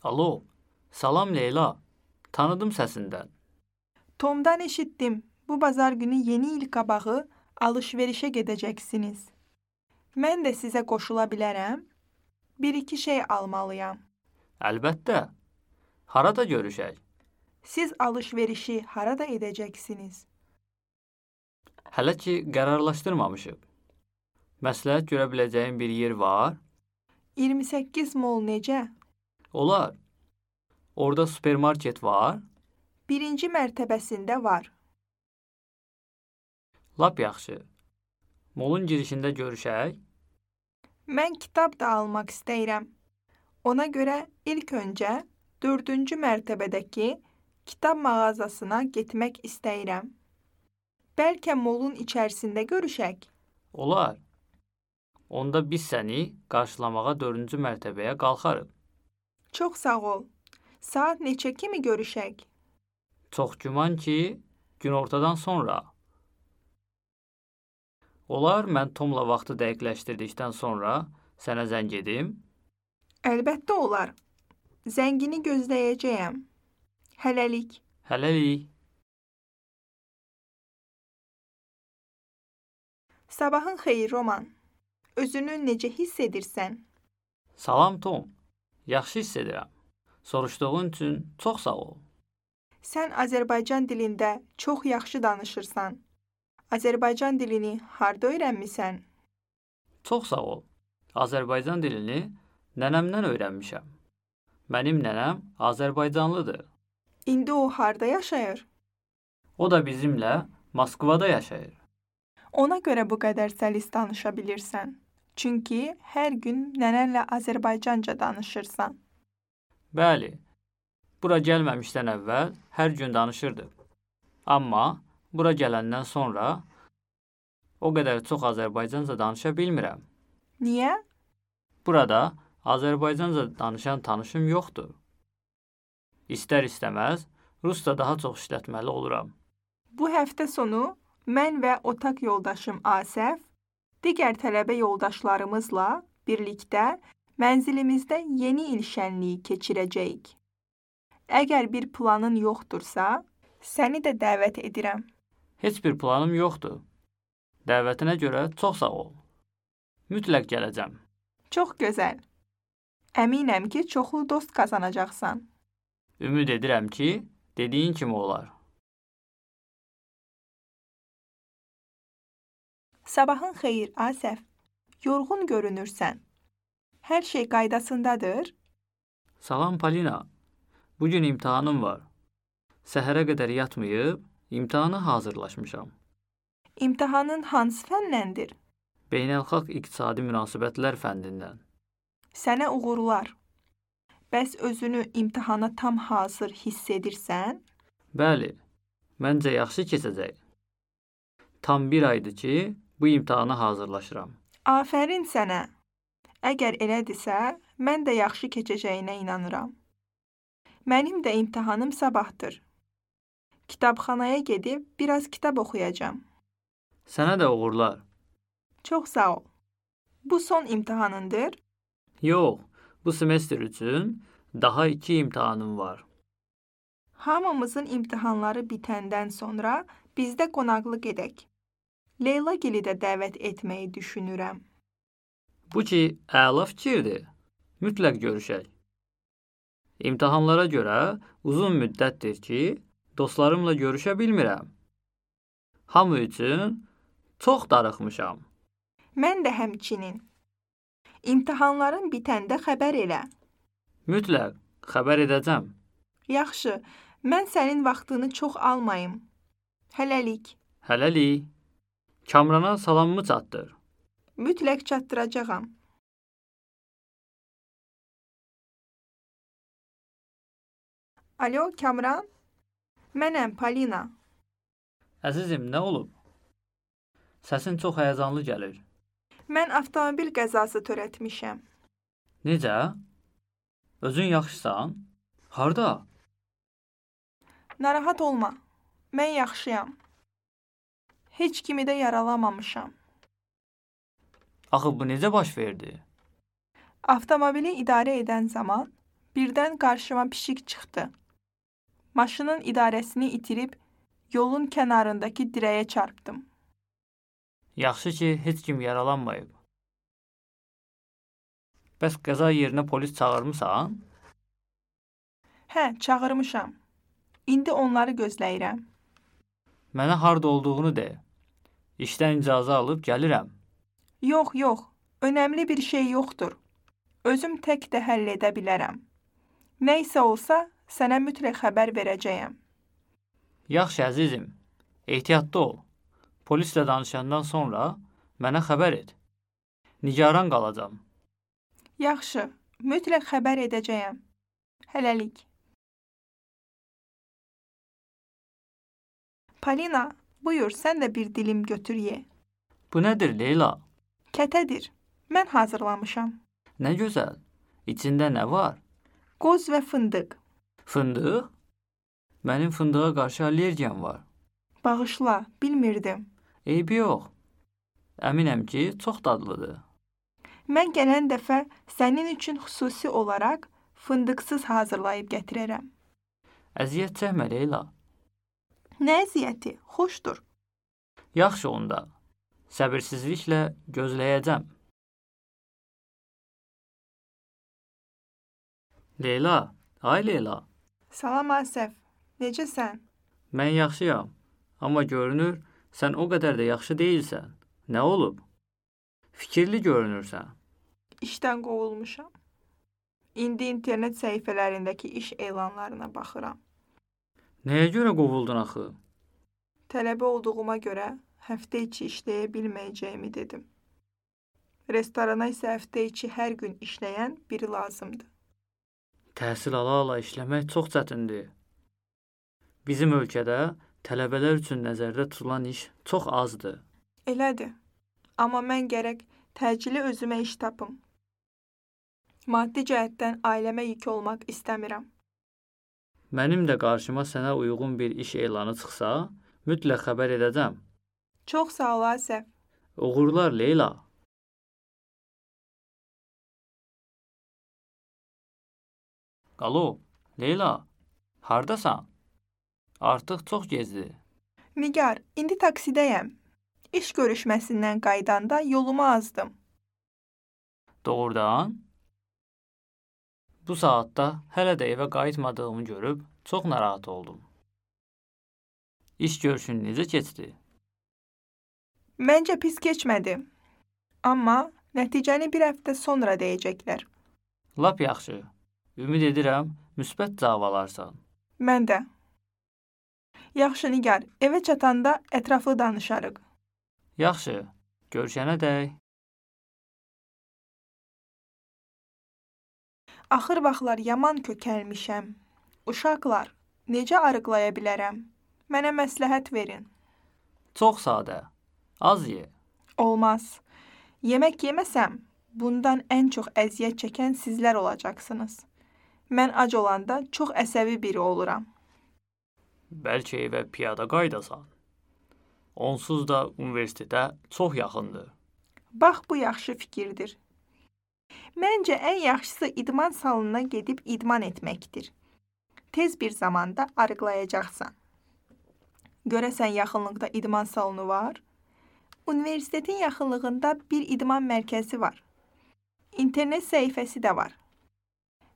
Alo, salam Leyla. Tanıdım səsindən. Tom'dan eşitdim. Bu bazar günü yeni il qabağı alış-verişə gedəcəksiniz. Mən də sizə qoşula bilərəm. Bir-iki şey almalıyam. Əlbəttə. Harada görüşək? Siz alış-verişi harada edəcəksiniz? Hələ ki, qərarlaşdırmamışıq. Məsləhət görə biləcəyim bir yer var? iyirmi səkkiz mol necə? Olar. Orada supermarket var? Birinci mərtəbəsində var. Lap yaxşı. Molun girişində görüşək? Mən kitab da almaq istəyirəm. Ona görə ilk öncə dördüncü mərtəbədəki kitab mağazasına getmək istəyirəm. Bəlkə molun içərisində görüşək? Olar. Onda biz səni qarşılamağa dördüncü mərtəbəyə qalxarıq. Çox sağ ol. Saat neçə kimi görüşək? Çox güman ki, günortadan sonra. Olar, mən Tomla vaxtı dəqiqləşdirdikdən sonra sənə zəng edim? Əlbəttə olar. Zəngini gözləyəcəyəm. Hələlik. Hələlik. Sabahın xeyir, Roman. Özünü necə hiss edirsən? Salam Tom. Yaxşı hiss edirəm. Soruşduğun üçün çox sağ ol. Sən Azərbaycan dilində çox yaxşı danışırsan. Azərbaycan dilini harda öyrənmisən? Çox sağ ol. Azərbaycan dilini nənəmdən öyrənmişəm. Mənim nənəm Azərbaycanlıdır. İndi o harda yaşayır? O da bizimlə Moskvada yaşayır. Ona görə bu qədər səlis danışa bilirsən. Çünki hər gün nənənlə Azərbaycanca danışırsan. Bəli, bura gəlməmişdən əvvəl hər gün danışırdıq. Amma bura gələndən sonra o qədər çox Azərbaycanca danışa bilmirəm. Niyə? Burada Azərbaycanca danışan tanışım yoxdur. İstər-istəməz rusca daha çox işlətməli oluram. Bu həftə sonu mən və otaq yoldaşım Asəf digər tələbə yoldaşlarımızla birlikdə mənzilimizdə yeni il şənliyi keçirəcəyik. Əgər bir planın yoxdursa, səni də dəvət edirəm. Heç bir planım yoxdur. Dəvətinə görə çox sağ ol. Mütləq gələcəm. Çox gözəl. Əminəm ki, çoxlu dost qazanacaqsan. Ümid edirəm ki, dediyin kimi olar. Sabahın xeyir, Asəf. Yorğun görünürsən. Hər şey qaydasındadır? Salam Polina. Bugün imtahanım var. Səhərə qədər yatmayıb, imtahana hazırlaşmışam. İmtahanın hansı fəndəndir? Beynəlxalq iqtisadi münasibətlər fəndindən. Sənə uğurlar. Bəs özünü imtahana tam hazır hiss edirsən? Bəli, məncə yaxşı keçəcək. Tam bir aydır ki, bu imtahana hazırlaşıram. Afərin sənə. Əgər elədirsə, mən də yaxşı keçəcəyinə inanıram. Mənim də imtahanım sabahdır. Kitabxanaya gedib biraz kitab oxuyacağam. Sənə də uğurlar. Çox sağ ol. Bu son imtahanındır? Yox, bu semestr üçün daha iki imtahanım var. Hamımızın imtahanları bitəndən sonra bizdə qonaqlıq edək. Leyla gili də dəvət etməyi düşünürəm. Bu ki, əla fikirdir. Mütləq görüşək. İmtahanlara görə uzun müddətdir ki, dostlarımla görüşə bilmirəm. Hamı üçün çox darıxmışam. Mən də həmçinin. İmtahanların bitəndə xəbər elə. Mütləq, xəbər edəcəm. Yaxşı, mən sənin vaxtını çox almayım. Hələlik. Hələlik. Kamrana salamımı çatdır. Mütləq çatdıracağam. Alo, Kamran? Mənəm, Polina. Əzizim, nə olub? Səsin çox həyəcanlı gəlir. Mən avtomobil qəzası törətmişəm. Necə? Özün yaxşısan? Harda? Narahat olma. Mən yaxşıyam. Heç kimi də yaralamamışam. Axı bu necə baş verdi? Avtomobili idarə edən zaman birdən qarşıma pişik çıxdı. Maşının idarəsini itirib yolun kənarındakı dirəyə çarpdım. Yaxşı ki, heç kim yaralanmayıb. Bəs qəza yerinə polis çağırmısan? Hə, çağırmışam. İndi onları gözləyirəm. Mənə harda olduğunu de. İşdən icazə alıb gəlirəm. Yox, yox. Önəmli bir şey yoxdur. Özüm tək də həll edə bilərəm. Nə isə olsa, sənə mütləq xəbər verəcəyəm. Yaxşı əzizim, ehtiyatlı ol. Polislə danışandan sonra mənə xəbər et. Nigaran qalacam. Yaxşı, mütləq xəbər edəcəyəm. Hələlik. Polina, buyur, sən də bir dilim götür ye. Bu nədir Leyla? Kətədir. Mən hazırlamışam. Nə gözəl. İçində nə var? Qoz və fındıq. Fındıq? Mənim fındığa qarşı allergiyam var. Bağışla, bilmirdim. Eybi yox. Əminəm ki, çox dadlıdır. Mən gələn dəfə sənin üçün xüsusi olaraq fındıqsız hazırlayıb gətirərəm. Əziyyət çəkmə Leyla. Nə əziyyəti? Xoşdur. Yaxşı onda. Səbirsizliklə gözləyəcəm. Leyla, ay Leyla. Salam Asəf. Necəsən? Mən yaxşıyam. Amma görünür, sən o qədər də yaxşı deyilsən. Nə olub? Fikirli görünürsən. İşdən qovulmuşam. İndi internet səhifələrindəki iş elanlarına baxıram. Nəyə görə qovuldun axı? Tələbə olduğuma görə həftə içi işləyə bilməyəcəyimi dedim. Restorana isə həftə içi hər gün işləyən biri lazımdır. Təhsil ala-ala işləmək çox çətindir. Bizim ölkədə tələbələr üçün nəzərdə tutulan iş çox azdır. Elədir. Amma mən gərək təcili özümə iş tapım. Maddi cəhətdən ailəmə yük olmaq istəmirəm. Mənim də qarşıma sənə uyğun bir iş elanı çıxsa, mütləq xəbər edəcəm. Çox sağ ol Asəf. Uğurlar Leyla. Alo, Leyla, hardasan? Artıq çox gecdir. Nigar, indi taksidəyəm. İş görüşməsindən qaydanda yolumu azdım. Doğrudan? Bu saatda hələ də evə qayıtmadığımı görüb çox narahat oldum. İş görüşün necə keçdi? Məncə pis keçmədi. Amma nəticəni bir həftə sonra deyəcəklər. Lap yaxşı. Ümid edirəm, müsbət cavab alarsan. Mən də. Yaxşı Nigar, evə çatanda ətraflı danışarıq. Yaxşı, görüşənə dək. Axır vaxtlar yaman kökəlmişəm. Uşaqlar, necə arıqlaya bilərəm? Mənə məsləhət verin. Çox sadə. Az ye. Olmaz. Yemək yeməsəm, bundan ən çox əziyyət çəkən sizlər olacaqsınız. Mən ac olanda çox əsəbi biri oluram. Bəlkə evə piyada qaydasan. Onsuz da universitetə çox yaxındır. Bax, bu yaxşı fikirdir. Məncə ən yaxşısı idman salonuna gedib idman etməkdir. Tez bir zamanda arıqlayacaqsan. Görəsən yaxınlıqda idman salonu var? Universitetin yaxınlığında bir idman mərkəzi var. İnternet səhifəsi də var.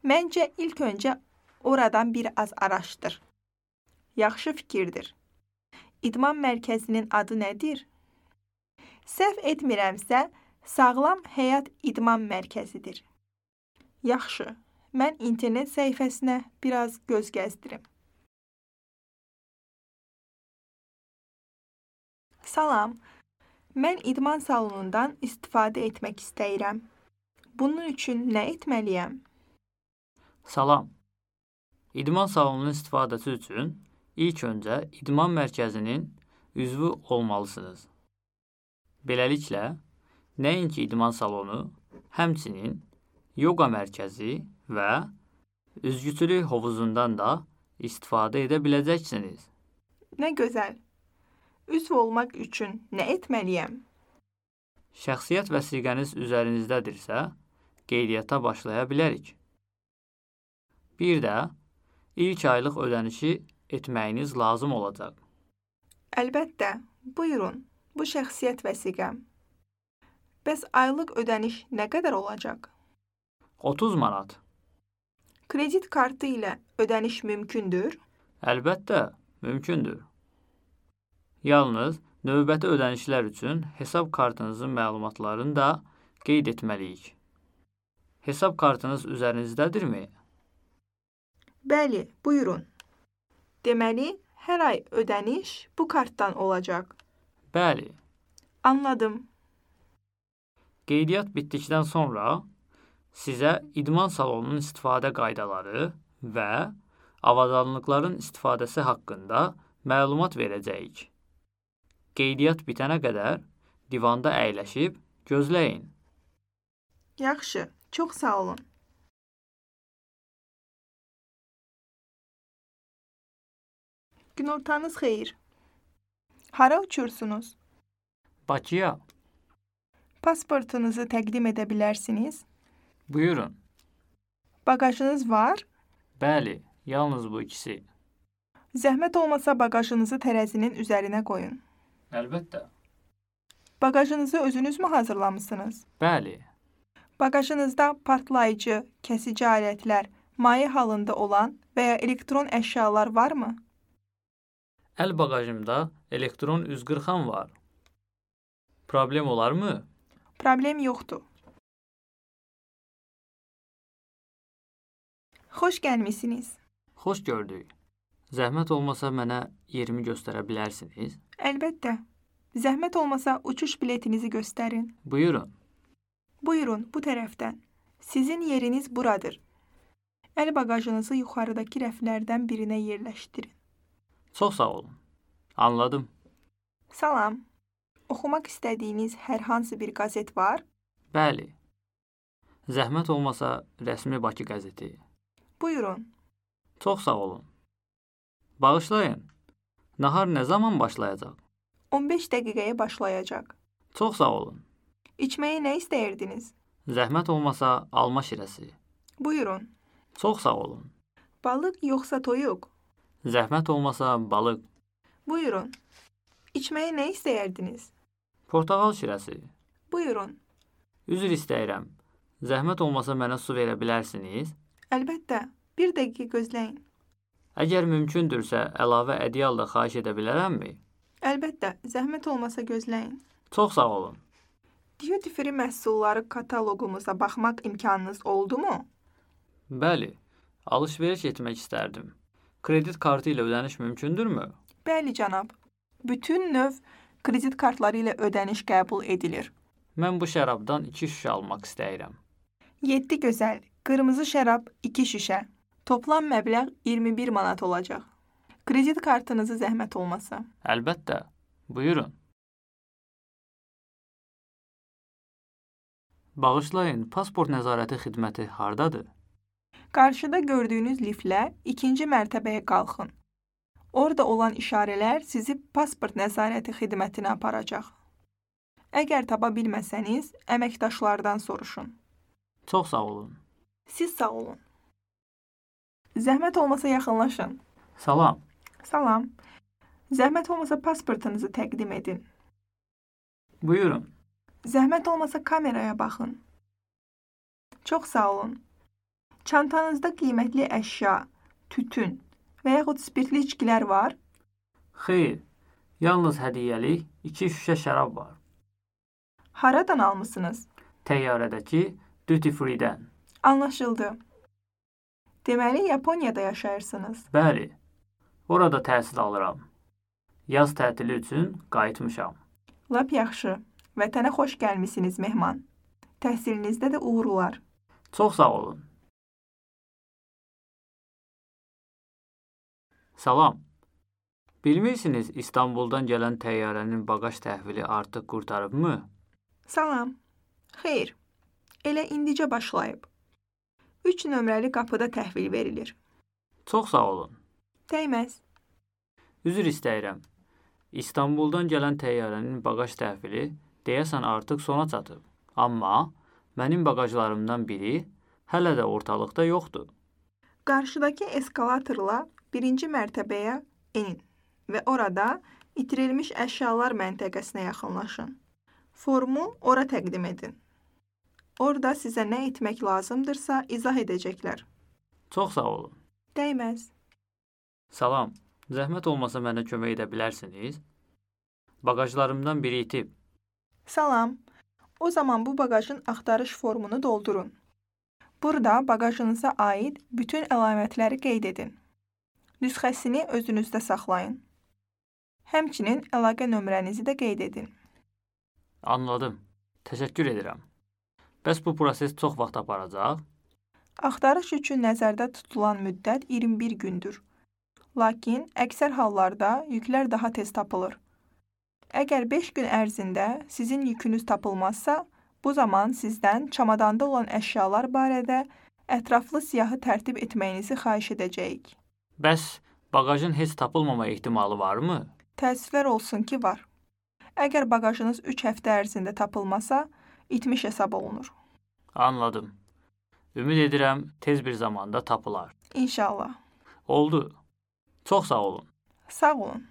Məncə ilk öncə oradan bir az araşdır. Yaxşı fikirdir. İdman mərkəzinin adı nədir? Səhv etmirəmsə, Sağlam Həyat İdman Mərkəzidir. Yaxşı, mən internet səhifəsinə biraz göz gəzdirim. Salam, mən idman salonundan istifadə etmək istəyirəm. Bunun üçün nə etməliyəm? Salam. İdman salonunun istifadəsi üçün ilk öncə idman mərkəzinin üzvü olmalısınız. Beləliklə, nəinki idman salonu, həmçinin yoga mərkəzi və Üzgüçülük hovuzundan da istifadə edə biləcəksiniz. Nə gözəl. Üzv olmaq üçün nə etməliyəm? Şəxsiyyət vəsiqəniz üzərinizdədirsə, qeydiyyata başlaya bilərik. Bir də ilk aylıq ödənişi etməyiniz lazım olacaq. Əlbəttə, buyurun, bu şəxsiyyət vəsiqəm. Bəs aylıq ödəniş nə qədər olacaq? otuz manat. Kredit kartı ilə ödəniş mümkündür? Əlbəttə, mümkündür. Yalnız növbəti ödənişlər üçün hesab kartınızın məlumatlarını da qeyd etməliyik. Hesab kartınız üzərinizdədirmi? Bəli, buyurun. Deməli, hər ay ödəniş bu kartdan olacaq. Bəli. Anladım. Qeydiyyat bitdikdən sonra sizə idman salonunun istifadə qaydaları və avadanlıqların istifadəsi haqqında məlumat verəcəyik. Qeydiyyat bitənə qədər divanda əyləşib gözləyin. Yaxşı, çox sağ olun. Günortanız xeyir. Hara uçursunuz? Bakıya. Pasportunuzu təqdim edə bilərsiniz? Buyurun. Bagajınız var? Bəli, yalnız bu ikisi. Zəhmət olmasa bagajınızı tərəzinin üzərinə qoyun. Əlbəttə. Bagajınızı özünüz mü hazırlamısınız? Bəli. Bagajınızda partlayıcı, kəsici alətlər, maye halında olan və ya elektron əşyalar varmı? Əl bagajımda elektron üz qırxan var. Problem olarmı? Problem yoxdur. Xoş gəlmisiniz. Xoş gördük. Zəhmət olmasa mənə yerimi göstərə bilərsiniz? Əlbəttə. Zəhmət olmasa uçuş biletinizi göstərin. Buyurun. Buyurun, bu tərəfdən. Sizin yeriniz buradır. Əl bagajınızı yuxarıdakı rəflərdən birinə yerləşdirin. Çox sağ olun. Anladım. Salam. Oxumaq istədiyiniz hər hansı bir qəzet var? Bəli. Zəhmət olmasa rəsmi Bakı qəzeti. Buyurun. Çox sağ olun. Bağışlayın. Nahar nə zaman başlayacaq? on beş dəqiqəyə başlayacaq. Çox sağ olun. İçməyə nə istəyirdiniz? Zəhmət olmasa alma şirəsi. Buyurun. Çox sağ olun. Balıq yoxsa toyuq? Zəhmət olmasa balıq. Buyurun. İçməyə nə istəyirdiniz? Portağal şirəsi. Buyurun. Üzr istəyirəm. Zəhmət olmasa mənə su verə bilərsiniz? Əlbəttə. Bir dəqiqə gözləyin. Əgər mümkündürsə, əlavə ədyal da xahiş edə bilərəmmi? Əlbəttə. Zəhmət olmasa gözləyin. Çox sağ olun. Duty free məhsulları kataloqumuza baxmaq imkanınız oldu mu? Bəli. Alış-veriş etmək istərdim. Kredit kartı ilə ödəniş mümkündürmü? Bəli, cənab. Bütün növ kredit kartları ilə ödəniş qəbul edilir. Mən bu şərabdan iki şüşə almaq istəyirəm. yeddi gözəl. Qırmızı şərab iki şüşə. Toplam məbləğ iyirmi bir manat olacaq. Kredit kartınızı zəhmət olmasa. Əlbəttə. Buyurun. Bağışlayın, pasport nəzarəti xidməti hardadır? Qarşıda gördüyünüz liftlə ikinci mərtəbəyə qalxın. Orada olan işarələr sizi pasport nəzarəti xidmətinə aparacaq. Əgər tapa bilməsəniz, əməkdaşlardan soruşun. Çox sağ olun. Siz sağ olun. Zəhmət olmasa yaxınlaşın. Salam. Salam. Zəhmət olmasa pasportunuzu təqdim edin. Buyurun. Zəhmət olmasa kameraya baxın. Çox sağ olun. Çantanızda qiymətli əşya, tütün və yaxud spirtli içkilər var? Xeyr, yalnız hədiyyəlik iki şüşə şərab var. Haradan almısınız? Təyyarədəki duty free-dən. Anlaşıldı. Deməli, Yaponiyada yaşayırsınız. Bəli, orada təhsil alıram. Yaz tətili üçün qayıtmışam. Lap yaxşı. Vətənə xoş gəlmisiniz, mehman. Təhsilinizdə də uğurlar. Çox sağ olun. Salam. Bilmirsiniz, İstanbuldan gələn təyyarənin bagaj təhvili artıq qurtarıbmı? Salam. Xeyr. Elə indicə başlayıb. üç nömrəli qapıda təhvil verilir. Çox sağ olun. Dəyməz. Üzr istəyirəm. İstanbuldan gələn təyyarənin baqaj təhvili deyəsən artıq sona çatıb. Amma mənim baqajlarımdan biri hələ də ortalıqda yoxdur. Qarşıdakı eskalatorla birinci mərtəbəyə enin və orada itirilmiş əşyalar məntəqəsinə yaxınlaşın. Formu ora təqdim edin. Orada sizə nə etmək lazımdırsa izah edəcəklər. Çox sağ olun. Dəyməz. Salam. Zəhmət olmasa mənə kömək edə bilərsiniz? Baqajlarımdan biri itib. Salam. O zaman bu baqajın axtarış formunu doldurun. Burada baqajınıza aid bütün əlamətləri qeyd edin. Nüsxəsini özünüzdə saxlayın. Həmçinin əlaqə nömrənizi də qeyd edin. Anladım. Təşəkkür edirəm. Bəs bu proses çox vaxt aparacaq? Axtarış üçün nəzərdə tutulan müddət iyirmi bir gündür. Lakin əksər hallarda yüklər daha tez tapılır. Əgər beş gün ərzində sizin yükünüz tapılmazsa, bu zaman sizdən çamadanda olan əşyalar barədə ətraflı siyahı tərtib etməyinizi xahiş edəcəyik. Bəs baqajın heç tapılmama ehtimalı varmı? Təəssüflər olsun ki, var. Əgər baqajınız üç həftə ərzində tapılmasa, itmiş hesab olunur. Anladım. Ümid edirəm tez bir zamanda tapılar. İnşallah. Oldu. Çox sağ olun. Sağ olun.